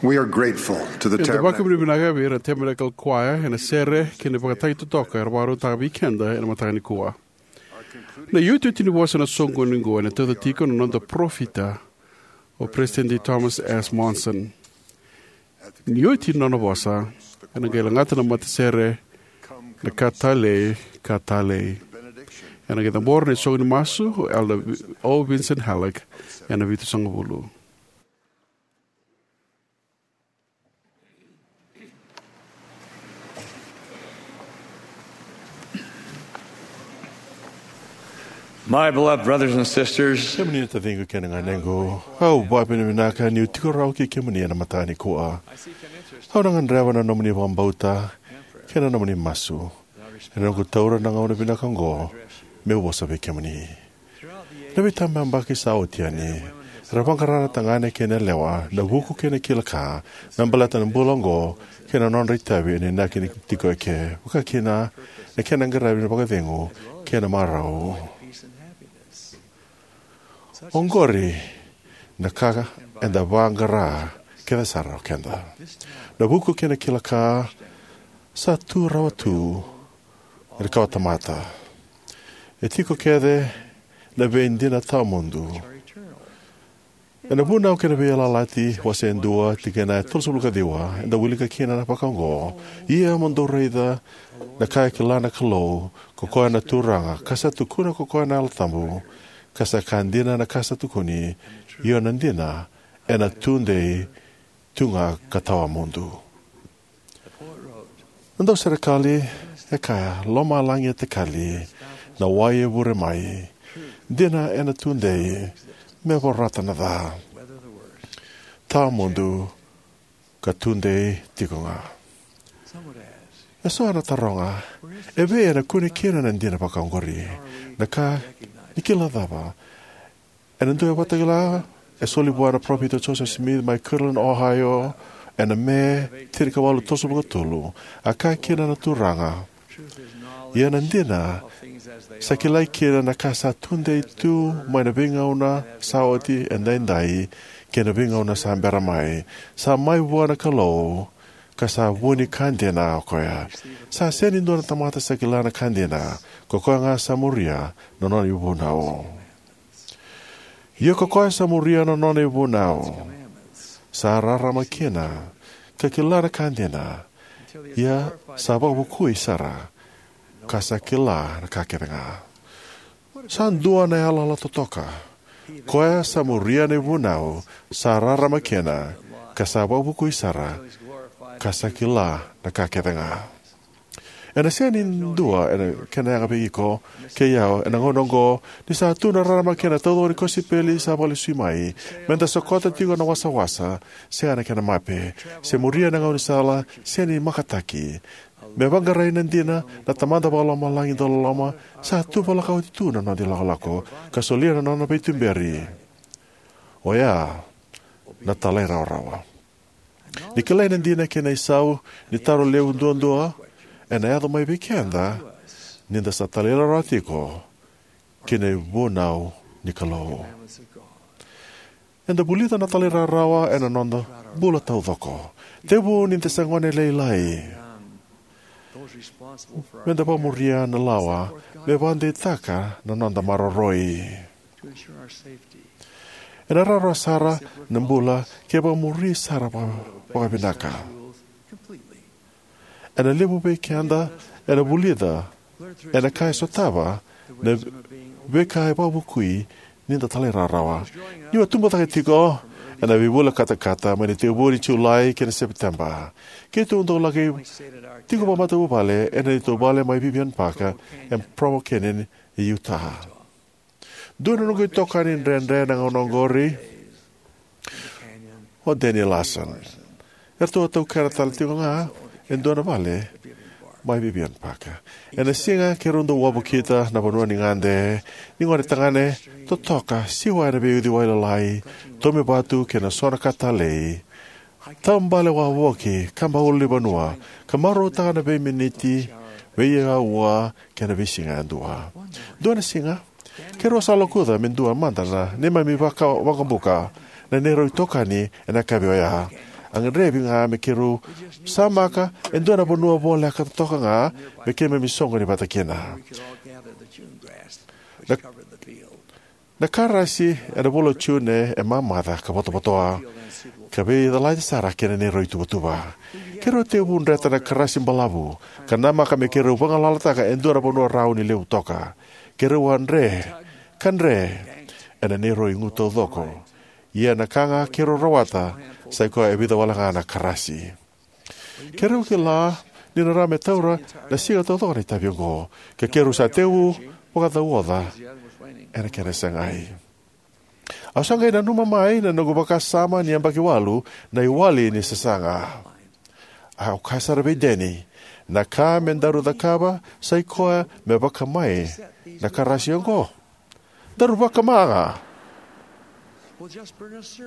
We are grateful to the Eda Tabernacle. Vakavinavinaka vei ira na Tabernacle Choir ena sere kei na ivakatagi totoka era vakarautaka vei keda ena mataka nikua. Na iotioti ni vosa ena soqoni oqo ena tauca tiko na noda parofita, o President Thomas S. Monson. Ni oti na nona vosa, ena qai lagata na matasere na Ka Talei, Ka Talei. Ena qai cabora na isoqoni masu o Elder Vi-, O. Vinson Halleck, ena vitusagavulu. My beloved brothers and sisters, kemuni na taciqu kei na ganequ, au vakavinavinaka niu tiko rawa kei kemuni ena mataka nikua. Au na gadreva na nomuni vakabauta kei na nomuni masu ena noqu taura na gauna vinaka oqo meu vosa vei kemuni. Na veitabayabaki sa oti yani, era vaqara na tagane kei na yalewa, na vuku kei na kila ka, me baleta na bula oqo kei na nodra itavi ena inaki ni tiko eke, vakakina na kena qaravi na vakacegu kei na marau. Oqori na ka eda vaqara kece sara o keda. Na vuku kei na kila ka sa tu rawa tu ena kawatamata. E tiko kece na veidina tawamudu. Ena Vunau kei na Veiyalayalati, wase e dua, tikina e tolusagavulu ka ciwa, eda wilika kina na vaka oqo: Ia mo dou raica na ka e kila na Kalou, ko koya na Turaga, ka sa tukuna ko koya na Yalo Tabu, ka sa ka dina na ka sa tukuni, io na dina, ena tudei tu ga ka tawamudu. Na dauserekali e kaya, lomalagi e takali, na wai e vure mai, dina ena tudei me vorata na ca, tawamudu ka tudei tiko ga. Eso ena taroga, evei ena kune kina na dina vaka oqori? Na ka ni kila cava? Ena dua na ivakatakila e soli vua na Parofita Joseph Smith mai Kirtland, Ohio, ena Me tinikawalu tolusagavulu ka tolu, a kaya kina na Turaga: Ia na dina, sa kilai kina na ka sa tudei tu mai na veigauna sa oti, edaidai, kei na veigauna sa bera mai. Sa mai vua na Kalou, ka sa vu ni ka dina o koya. Sa sega ni dua na tamata sa kila na ka dina, ko koya ga sa muria na nona ivunau. Ia ko koya sa muria na nona ivunau, sa rarama kina, ka kila na ka dina, ia sa vakavukui sara, ka sa kila na ka kece ga. Sa dua na yalayala totoka. Koya sa muria na ivunau, sa rarama kina, ka sa vakavukui sara, ka sa kila na ka kece ga. Ena sega ni dua ena kena yaga vei iko kei au ena gauna oqo, ni sa tu na rarama kei na taucoko ni kosipeli sa vakalesui mai, meda sokota tiko na wasawasa sega na kena mape, se muria na gaunisala sega ni makataki, me vaqarai na dina, na Tamada Vakalomalagi dauloloma sa tuvalaka oti tu na noda ilakolako ka solia na nona veituberi, oya na talairawarawa. Ni kilai na dina kei na isau ni taro levu duadua ena yaco mai vei keda ni da sa talairawarawa tiko ki na ivunau ni Kalou. Eda vulica na talairawarawa ena noda bula taucoko. Tekivu ni da se gone lailai, meda vakamuria na lawa me vakadeitaka na noda maroroi. Ena rawarawa sara na bula ke vakamuri sara vaka-, vakavinaka. Ena levu vei keda ena vulica ena ka e sotava na veika e vakavukui ni da talairawarawa. Niu a tubu cake tiko ena veivula katakata mai na itekivu ni Julai kei na Sepiteba, keitou dau laki tiko vakamatavuvale ena neitou vale mai Vivian Park e Provo Canyon e Utah. Dua na noqu itokani dredre na gauna oqori o Danny Larson. Eratou a taukena tale tiko ga e dua na vale mai Vivian Park. Ena siga keirau dau wavokita na vanua ni gade ni gone tagane totoka, siwa ena veiuciwai lalai, tomi vatu kei na so na ka talei, taubale wavoki, kaba ulunivanua, ka marautaka na veiminiti, veiaua kei na veisiga yadua. Dua na siga, keirau sa lokuca me dua mada na neimami vaka-, waqabuka na neirau itokani ena yakavi oya. A gadrevi ga me keirau samaka e dua na vanua voleka toka ga me keimami soqoni vata kina. Na karasi ena vula o June e mamaca ka votovotoa, ka veicalati sara kei na neirau ituvatuva. Keirau tekivu dreta na karasi balavu ka namaka me keirau vagalalataka e dua na vanua rauni levu toka. Keirau a dre ka dre ena neirau igu taucoko, ia na ka ga keirau rawata sai koya e vica wale ga na karasi. Keirau kila ni na rawa me taura na siga taucoko na itavi oqo, ka keirau sa tekivu vakacauoca ena kena segai. Au sa qai nanuma mai na noqu vakasama ni yabaki walu na iwali ni sasaga. Au kaya sara vei Danny, na ka me daru cakava sai koya me vakama na karasi oqo. Daru vakama ga.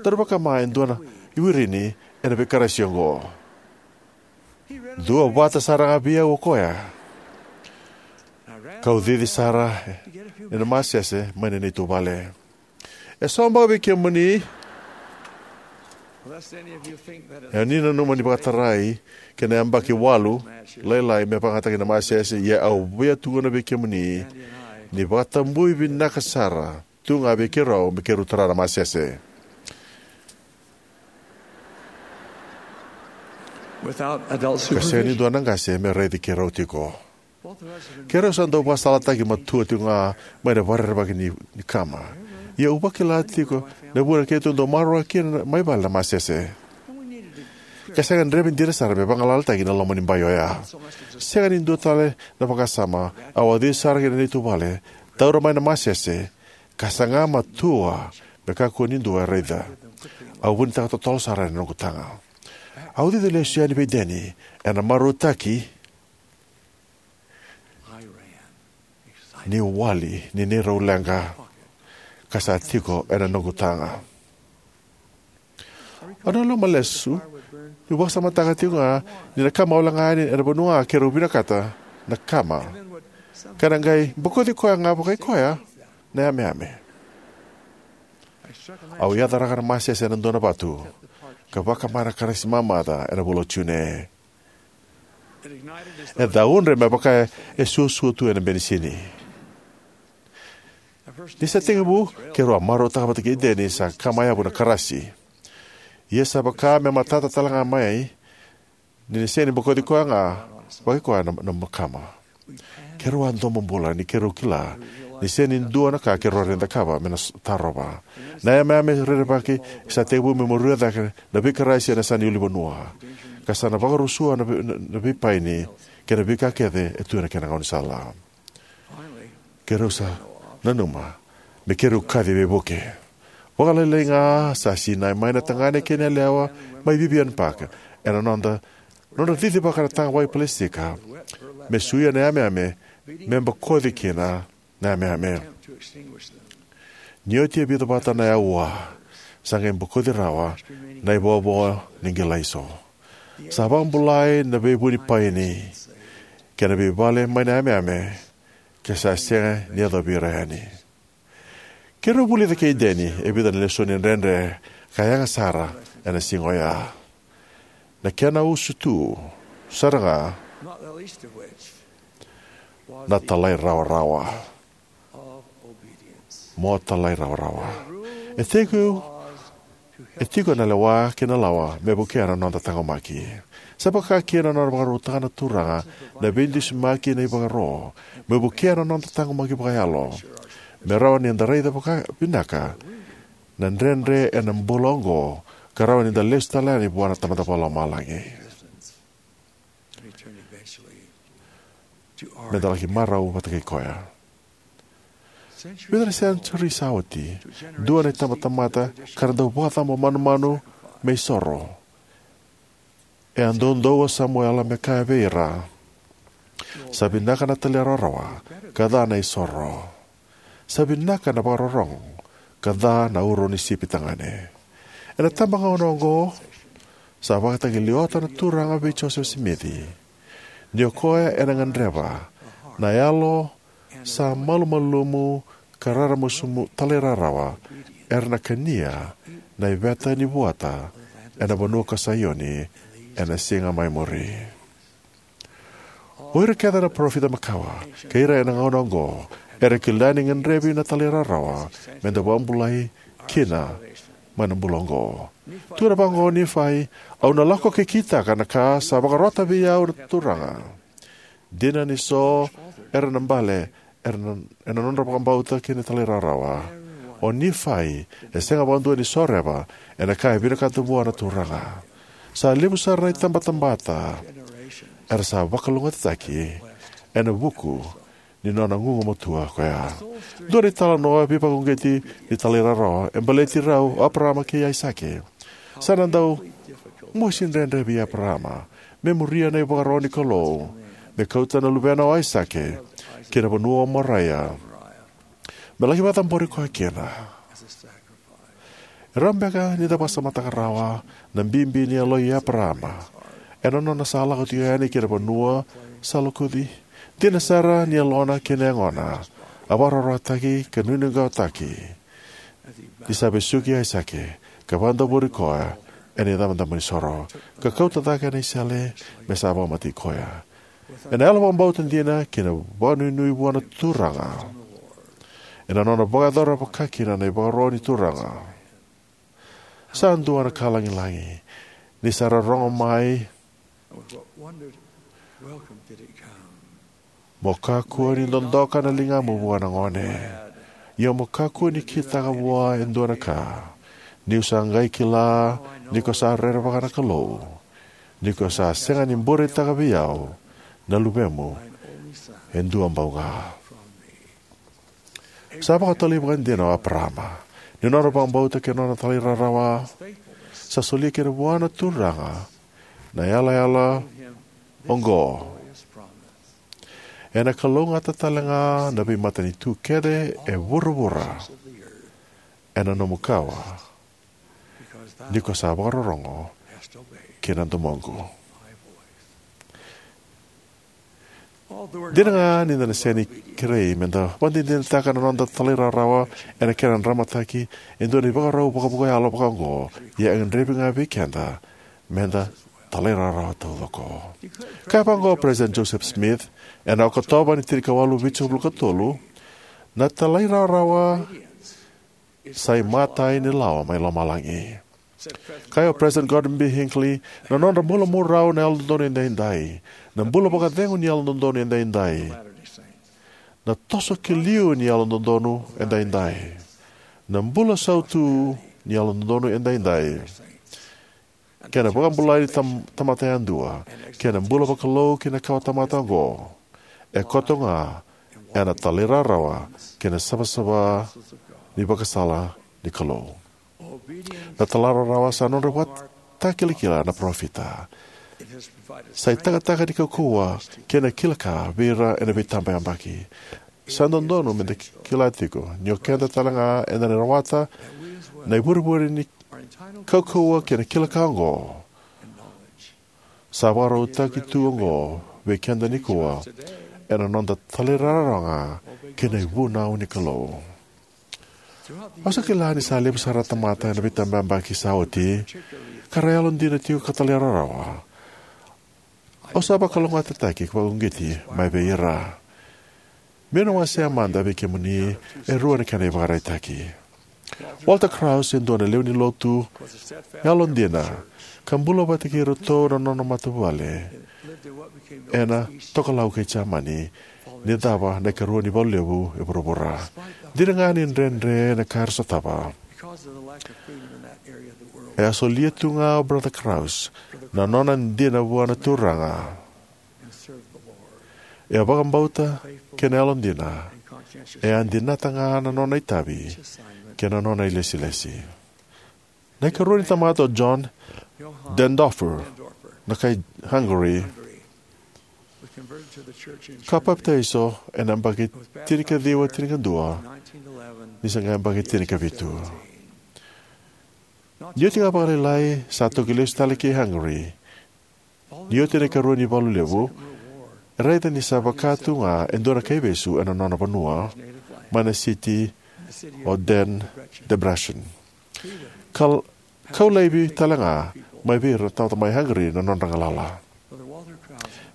Daru vakama e dua na iwirini ena veikarasi oqo. Duavata sara ga vei au o koya, kau cici sara ena masese mai na neitou vale. E so beka vei kemuni, e ni nanuma ni vakatarai kei na yabaki walu lailai me vakayagataki na masese, ia au via tukuna vei kemuni ni vakatabui vinaka sara tu ga vei keirau me keirau tara na masese. Ka sega ni dua na qase me raici keirau tiko. Keirau sa dau vakasalataki matua tiko ga mai na vakarerevaki ni, ni kama. Ia au vakila tiko na vuna keitou dau maroroya kina mai vale na masese. Ka sega ni gadrevi dina sara me vagalalataki na loma ni bai oya. Sega ni dua tale na vakasama, au a cici sara ki na neitou vale, taura mai na masese, ka saga matua me kakua ni dua e raica. Au vunitaka totolo sara ena noqu taga. Au cici lesu yani vei Danny ena marautaki ni wali ni neirau leqa, ka sa tiko ena noqu taga. Au nanuma lesu niu vakasamataka tiko ga ni na kama au leqa yani ena vanua ga keirau vinakata na kama, ka na qai bokoci koya ga vakai koya na yameyame. Au yacaraka na masese ena dua na vatu ka vakama na karasi mamaca ena vula o June. E caudre me vaka e suasua tu ena benisini. Ni sa tekivu, keirau a marautaka vata kei Danny sa kama yavu na karasi. Ia sa vaka me matata tale ga mai ni na sega ni bokoci koya ga vakai koya na, na kama. Keirau a domo bula ni keirau kila ni sega ni dua na ka keirau rawa ni cakava me na s-, tarova. Na yameyame rerevaki sa tekivu me muria cake na veikarasi ena yasa ni ulunivanua, ka sa na vakarusua na vei-, na, na veipaini kei na veika kece e tu ena kena gaunisala. Keirau sa nanuma me keirau kaci veivuke. Vakalailai ga sa sinai mai na tagane kei na yalewa mai Vivian Park ena nodra, nodra cicivaka na taga vakaipelesika me suia na yameyame, me bokoci kina na yameyame. Ni oti e vica vata na aua, sa qai bokoci rawa na ivovo ni qilaiso. Sa vakabulai na veivunipaini kei na veivale mai na yameyame, ka sa sega ni yacovi ira yani. Keirau vulica kei Danny e vica na lesoni dredre ka yaga sara ena siga oya. Na kena usutu sara ga na talairawarawa. Mo talairawarawa. E tiko, e tiko na lewa kei na lawa me vukea na noda taqomaki. Sa vaka kina na nona vakarautaka na Turaga na veidusimaki na ivakaro me vukea na noda taqomaki vakayalo, me rawa ni da raica vakavinaka na dredre ena bula oqo ka rawa ni da lesu tale yani vua na Tamada Vakalomalagi. Me da laki marau vata kei koya. Vica na senituri sa oti, dua na itabatamata ka ra dau vakacabo manumanu me isoro e a doudou o Samuela me kaya vei ira, "Sa vinaka na talairawarawa ka ca na isoro. Sa vinaka na vakarorogo ka ca na uro ni sipi tagane." Ena tabagauna oqo, sa vakatakila oti na Turaga vei Josefa Simici ni o koya ena gadreva na yalo sa malumalumu ka raramusumusu talairawarawa era na kania na iveta ni vuata ena vanua ko Saioni ena siga mai muri. O ira kece na parofita makawa kei ira ena gauna oqo era kila ni gadrevi na talairawarawa me da vakabulai kina mai na bula oqo. Tukuna vaqo o Nifai: Au na lako ka kitaka na ka sa vakarota vei au na Turaga. Dina ni so era na bale era na, ena nodra vakabauta kei na talairawarawa. O Nifai e sega vakadua ni soreva ena ka e vinakata vua na Turaga. Sa levu sara na itabatamata era sa vakalougatataki ena vuku ni nona gugumatua koya. Dua na italanoa veivakauqeti ni talairawarawa e baleti rau o Eparaama kei Aisake. Sa na dau mosi dredre vei Eparaama me muria na ivakaro ni Kalou me kauta na luvena o Aisake ki na vanua o Moraia me laki vakacabori koya kina. E rawa beka ni da vakasamataka rawa na bibi ni yaloi Eparaama ena nona sa lako tiko yani ki na vanua sa lokuci? Dina sara ni yalona kei na yagona a vakararawataki ka nuiqawaqawataki ni sa vesuki Aisake ka vakadavori koya ena icabocabo ni soro, ka kauta cake na isele me sa vakamatei koya. Ena yalo vakabauta dina kei na vakanuinui vua na Turaga, ena nona vakayacora vakakina na ivakaro ni Turaga, sa dua na ka lagilagi ni sa ra rogo mai: Mo kakua ni dodoka na ligamu vua na gone, ia mo kakua ni kitaka vua e dua na ka, niu sa qai kila ni ko sa rerevaka na Kalou, ni ko sa sega ni bureitaka vei au na luvemu e dua bauga. Sa vakatotolo vakadina o Eparaama ni nona vakabauta kei na nona talairawarawa. Sa solia kina vua na Turaga na yalayala oqo: Ena kalougata talega na veimatanitu kece e vuravura ena nomu kawa, ni ko sa vakarorogo ki na domoqu. Dina ga ni da na sega ni kerei me da vakadinadinataka na noda talairawarawa ena kena dramataki e dua na ivakarau vakavakayalo vakaoqo, ia e gadrevi ga vei keda me da talairawarawa taucoko. Kaya vaqo o President Joseph Smith ena Okotova ni tinikawalu vitusagavulu ka tolu: Na talairawarawa sa imatai ni lawa mai lomalagi. Kaya o President Gordon B. Hinckley: Na nodra bula marau na Yalododonu Edaidai, na bula vakacegu ni Yalododonu Edaidai, na toso ki liu ni Yalododonu Edaidai, na bula sautu ni Yalododonu Edaidai, kei na vakabulai ni tam tamata yadua, kei na bula vakalou ki na kawatamata oqo, e koto ga ena talairawarawa kei na savasava ni vakasala ni Kalou. Na talairawarawa sa nodra vakatakilakila na parofita. Sa itakataka ni kaukauwa kei na kila ka vei ira ena veitabayabaki. Sa dodonu me da kila tiko ni o keda talega eda na rawata na ivurevure ni kaukauwa kei na kila ka oqo. Sa vakarautaki tu oqo vei keda nikua ena noda talairawarawa ga ki na ivunau ni Kalou. Au sa kila ni sa levu sara na tamata ena veitabayabaki sa oti ka ra yalodina tiko ka talairawarawa. Au sa vakalougatataki vakauqeti mai vei ira. Meu na wasea mada vei kemuni e rua na kena ivakaraitaki. Walter Krause e dua na lewe ni Lotu yalodina ka bula vata kei iratou na nona matavuvale ena tokalau kei Jamani ni cava na ikarua ni valu levu e vuravura. Dina ga ni dredre na ka era sotava, e a solia tu ga o Brother Krause na nona dina vua na Turaga. E a vakabauta kei na yalodina, e a dinata ga na nona itavi kei na nona ilesilesi. Na ikarua ni tamata o John Denndorfer, na kai Hungary, ka papitaiso ena yabaki tinikaciwa tinikadua ni se qai yabaki tinikavitu. Ni oti ga vakalailai sa toki lesu tale ki Hungary. Ni oti na ikarua ni valu levu, e raica ni sa vaka tu ga e dua na kaivesu ena nona vanua mai na siti o Den Debrecen. Kal kau laivi tale ga mai vei ira na tamata mai Hungary na nodra galala.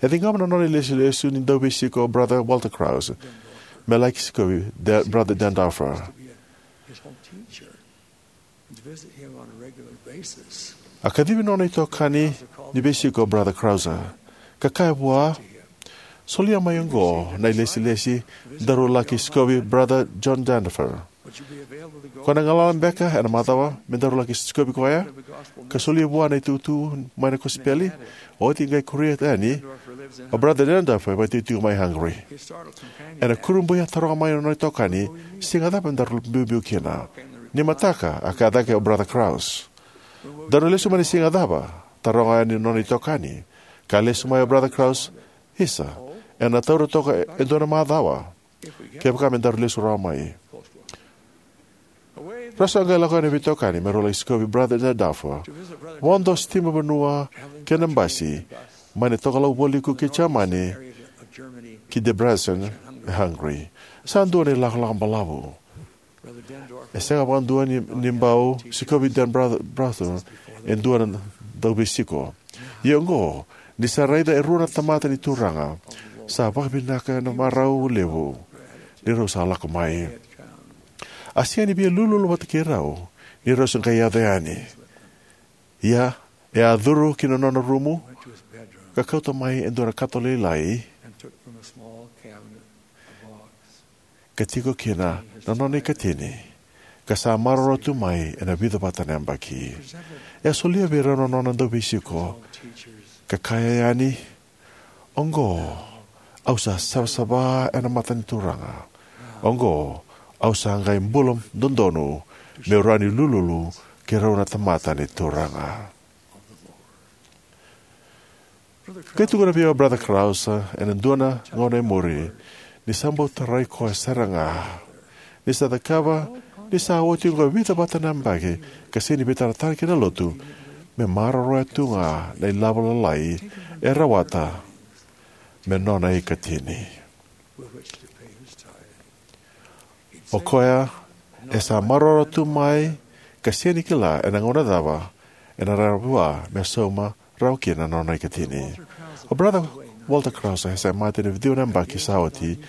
E ciqoma na nona ilesulesu ni dauveisiko o Brother Walter Krause me laki sikovi De, Brother Denndorfer. A kacivi nona itokani ni veisiko o Brother Krause ka kaya vua, "Solia mai oqo na ilesilesi daru laki sikovi Brother John Denndorfer. Ko na galala beka ena macawa me daru laki sikovi koya ka solia vua na itutu mai na kosipeli?" Oti qai kuria yani, "O Brother Denndorfer e vakaitikotiko mai Hungary." Ena kurabui a taroga mai na nona itokani, "Siga cava daru biubiu kina?" "Ni mataka," a kaya cake o Brother Krause. "Daru na lesu mai na siga cava?" taroga yani na nona itokani. Ka lesu mai o Brother Krause, "Isa, ena taura toka e dua na macawa kevaka me daru lesu rawa mai." Rau sa qai lako yani na veitokani me rau lai sikovi Brother Denndorfer, vodo sitimanivanua kei na basi, mai na tokalau vualiku ki Jamani ki Debrecen e Hungary. Sa dua na ilakolako balavu. E sega vakadua ni, ni bau sikovi Denndorfer e dua na dauveisiko. Ia oqo, ni sa raica e rua na tamata ni Turaga, sa vakavinaka na marau levu ni rau sa lako mai. A sega ni via lululu vata kei rau ni rau sa qai yaco yani. Ia, e a curu ki na nona rumu ka kauta mai e dua na kato lailai ka tiko kina na nona ikatini, ka sa maroroya tu mai ena vica vata na yabaki. E a solia vei rau na nona dauveisiko ka kaya yani, "Oqo, au sa savasava ena mata ni Turaga. Oqo, au sa qai bula dodonu meu rawa ni lululu kei rau na tamata ni Turaga." Qai tukuna vei au o Brother Krause ena dua na gauna e muri ni sa bau tarai koya sara ga, ni sa cakava ni sa oti oqo e vica vata na yabaki ka sega ni veitaratara ki na lotu, me maroroya tu ga na ilavo lalai e rawata me nona ikatini. O koya e sa maroroya tu mai ka sega ni kila ena gauna cava ena rawa vua me sauma rawa kina na nona ikatini. O Brother Walter Krause e sa mate ena ciwa na yabaki sa oti,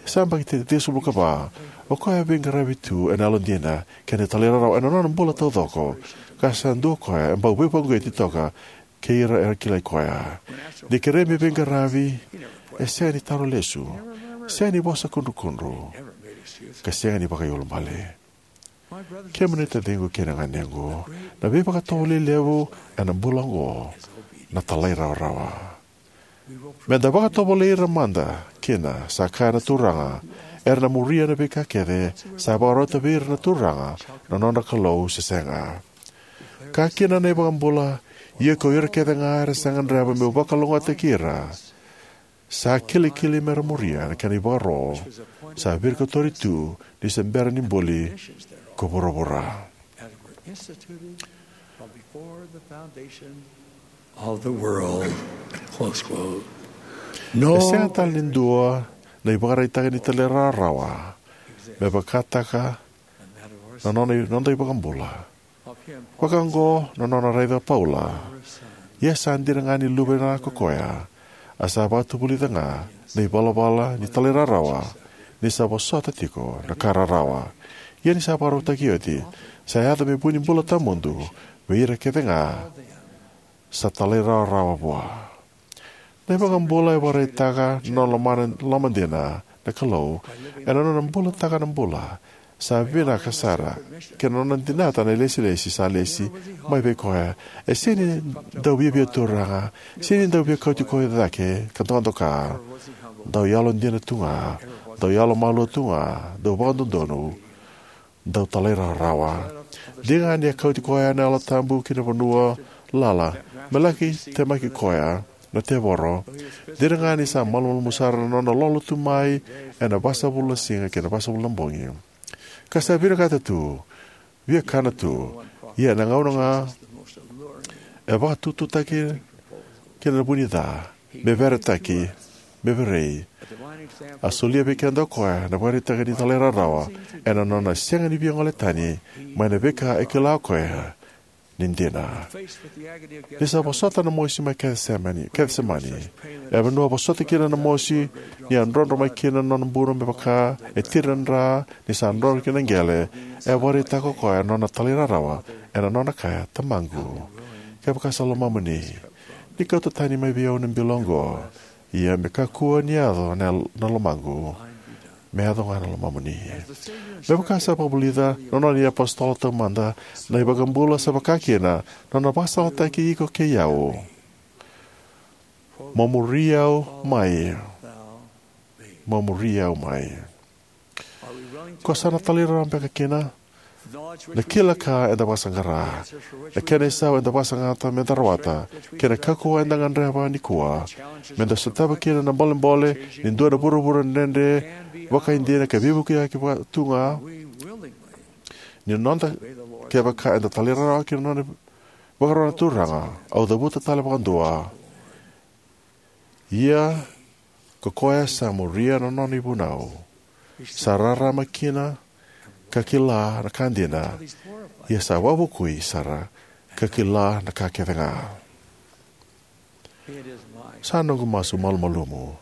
sa yabaki tinikava. O koya e veiqaravi tu ena yalodina kei na talairawarawa ena nona bula taucoko, ka sa dua o koya e bau veivakauqeti toka kei ira era kilai koya. Ni kerei me veiqaravi, e sega ni taro lesu, sega ni vosa kudrukudru, ka sega ni vakaiulubale. Kemuni na taciqu kei na ganequ, na veivakatovolei levu ena bula oqo na talairawarawa. Meda vakatovolei ira mada kina, sa kaya na Turaga, era na muria na veika kece sa vakarota vei ira na Turaga na nodra Kalou se sega. Kaya kina na iVakabula, ia ko ira kece ga era sa gadreva meu vakalougatataki ira, sa kilikili mera muria na kena ivakaro, sa virikotori tu ni se bera ni buli ko vuravura. Of the world. Close quote. E sega tale ni dua na ivakaraitaki ni talairawarawa me vakataka na nona, noda iVakabula. Vakaoqo na nona raica o Paula. Ia sa dina ga ni luvena ko koya, a sa vakatavulica ga na ivalavala ni talairawarawa, ni sa vosota tiko na ka rarawa. Ia ni sa vakarautaki oti, sa yaco me vu ni bula tawamudu vei ira kece ga sa talairawarawa vua. Na iVakabula e vakaraitaka na nona lomana, lomadina na Kalou ena nona bulataka na bula sa vinaka sara kei na nona dinata na ilesilesi sa lesi mai vei koya. E sega ni dau viavia turaga, sega ni dau via kauti koya cake ka dokadoka. Dau yalodina tu ga, dau yalomalua tu ga, dau vakadodonu, dau talairawarawa. Dina ga ni a kauti koya na Yalo Tabu ki na vanua lala me laki temaki koya na tevoro. Dina ga ni sa malumalumu sara na nona lolo tu mai ena vasavulu na siga kei na vasavulu na bogi, ka sa vinakata tu, via kana tu, ia ena gauna ga e vakatututaki kina na vu ni ca, me veretaki, me verei. A solia vei keda o koya na vakaraitaka ni talairawarawa ena nona sega ni via gole tani mai na veika e kila o koya ni dina. Ni sa vosota na mosi mai Kecisemani, Kecisemani, e a vanua vosota kina na mosi, ni a drodro mai kina na nona buno me vaka e tiradra ni sa drodro kina qele, e a vakaraitaka o koya na nona talairawarawa ena nona kaya, "Tamaqu, kevaka sa lomamuni, ni kauta tani mai vei au na bilo oqo, ia me kakua ni yaco na, na lomaqu, me yaco ga na lomamuni." Me vaka sa vakavulica na nona iApositolo taumada, na iVakabula sa vaka kina na nona vakasalataki iko kei au. Mo muri au mai. Mo muri au mai. Ko sa na talairawarawa beka kina? Na kila ka eda vakasaqara, na kena isau eda vakasaqata meda rawata, kei na kaukauwa eda gadreva nikua meda sotava kina na bolebole ni dua na vuravura dredre vakaidina ka veivukiyaki vaka tu ga. Ni noda, kevaka eda talairawarawa ki na nona, vakarau na Turaga, au cavuta tale vakadua. Ia ko koya sa muria na nona ivunau, sa rarama kina ka kila na ka dina, ia sa wavokui sara ka kila na ka kece ga. Sa noqu masu malumalumu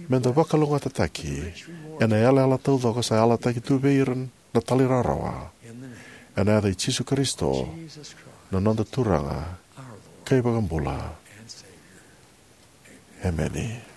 meda vakalougatataki ena yalayala taucoko sa yalataki tu vei ira na talairawarawa. Ena yaca i Jisu Karisito, na noda Turaga ka iVakabula. Emeni.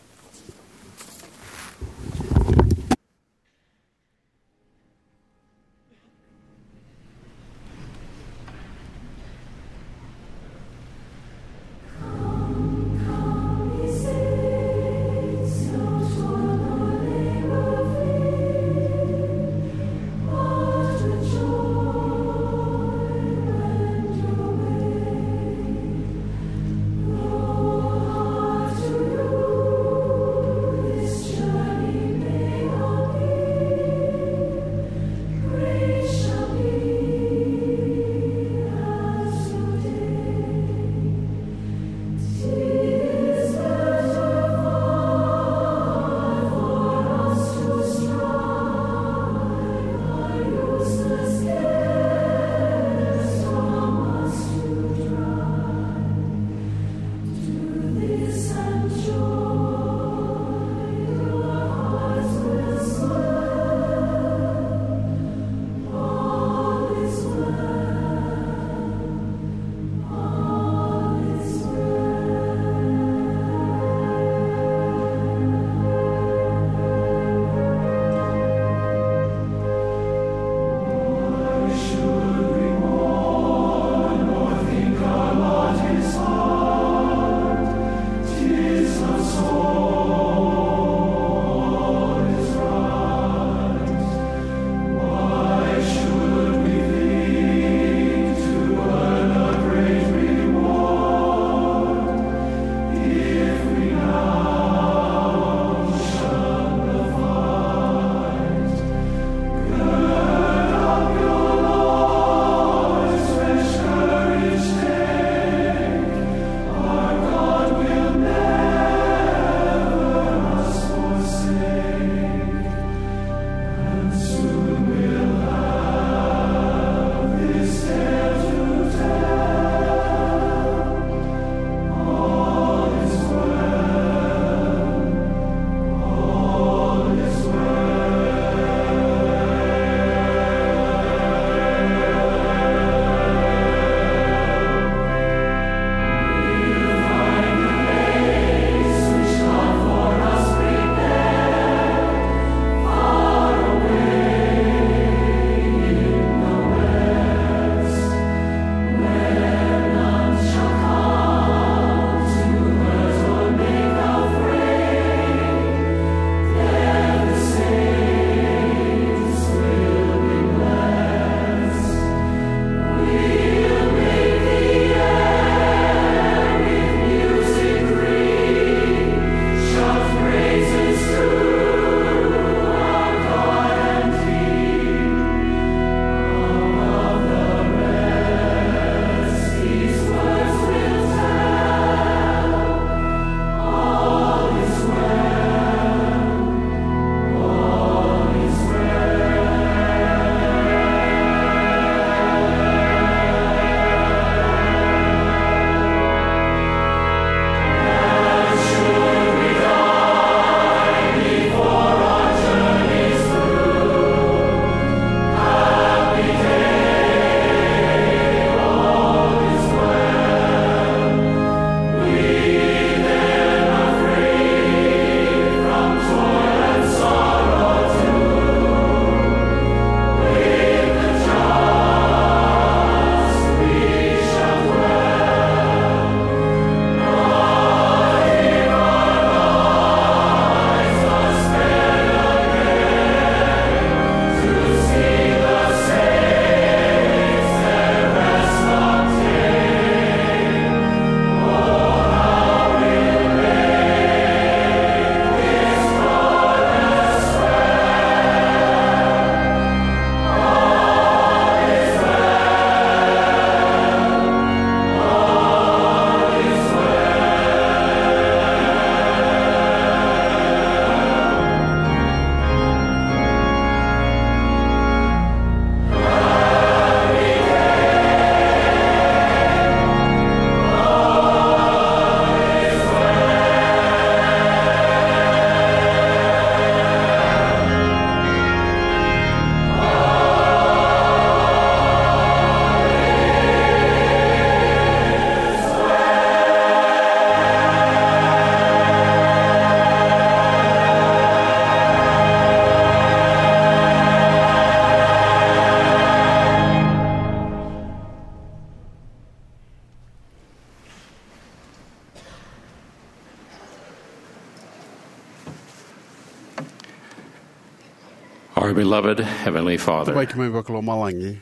Our beloved Heavenly Father, Tamai keimami vakalomalagi,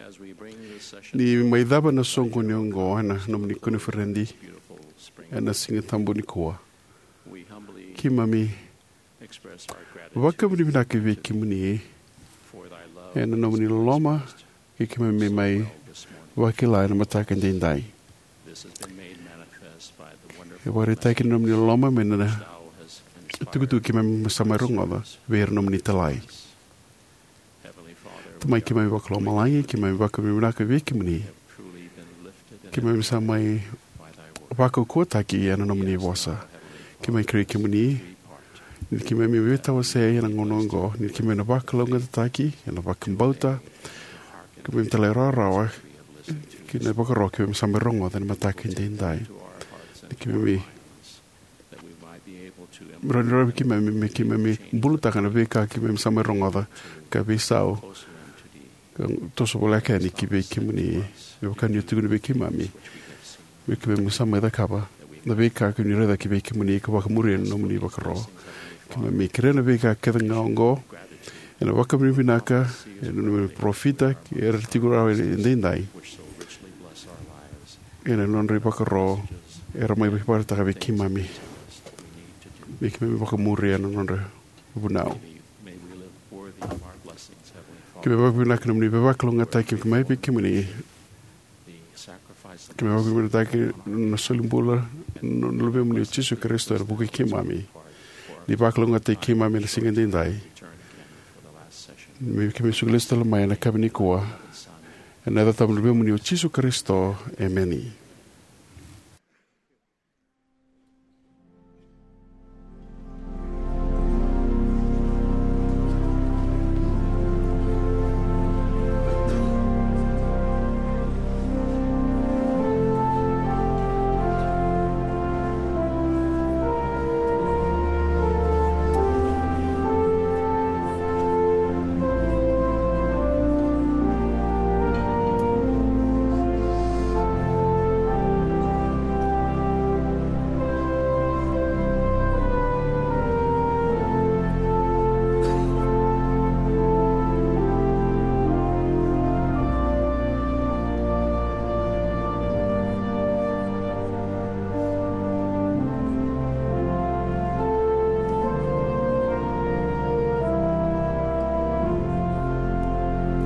as we bring this session ni mai cava na soqoni oqo ena nomuni koniferedi beautiful spring, ena Siga Tabu nikua, we humbly keimami express our gratitude vakavinavinaka vei kemuni for thy love ena nomuni loloma, kei keimami mai vakila ena mataka edaidai. This has been made manifest by the wonderful E vakaraitaki na nomuni loloma mai na thou hast inspired tukutuku keimami sa mai rogoca vei ira nomuni italai. Heavenly Father, Tamai keimami vakalomalagi, keimami vakavinavinaka vei kemuni. Truly been lifted and Keimami sa mai by thy word. Vakaukauwataki ena nomuni vosa. Keimami kerei kemuni ni keimami veitawasei ena gauna oqo, ni keimami na vakalougatataki ena vakabauta, keimami talairawarawa ki na ivakaro keimami sa mai rogoca ena mataka edaidai. Ni keimami rawa ni rawa vei keimami me keimami bulataka na veika keimami sa mai rogoca, ka veisau, ka toso voleka yani ki vei kemuni, me vaka ni o tukuna vei keimami me keimami sa mai cakava na veika keimami raica ki vei kemuni ka vakamuria na nomuni ivakaro. Keimami kerea na veika kece ga oqo ena vakavinavinaka ena nomuni parofita kei ira era tiko rawa edaidai ena nodra ivakaro era mai vakaraitaka vei keimami me keimami vakamuria na nodra vunau. Keimami vakavinavinaka na nomuni veivakalougatataki mai vei kemuni. Keimami vakavinavinakataki na solibula na Luvemuni o Jisu Karisito ena vuku i keimami, ni vakalougatataki keimami ena siga edaidai. Me keimami suka lesu tale mai ena yakavi nikua, ena yaca tabu ni Luvemuni o Jisu Karisito, emeni.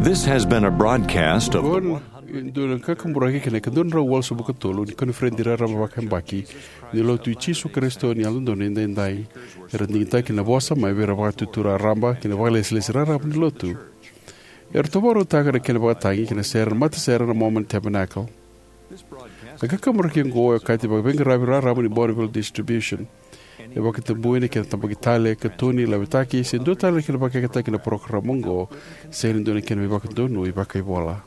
This has been a broadcast of the Oqo e dua na kakaburaki kei na ika dua na drau walusagavulu ka tolu ni koniferedi raraba vakayabaki ni Lotu i Jisu Karisito ni Yalododonu Edaidai. Era digitaki na vosa mai vei ira Vakatutu Raraba kei na Vakalesilesi Raraba ni Lotu. Era tovorautaka na kena vakatagi ki na sere na matasere na Mormon Tabernacle. Na kakaburaki oqo e okati ni vakaveiqaravi raraba ni Bonneville Distribution. E vakatabui na kena tabaki tale, katuni, laveti, se dua tale na kena vakayagataki na parokaramu oqo, sega ni dua na kena veivakadonui vakaivola.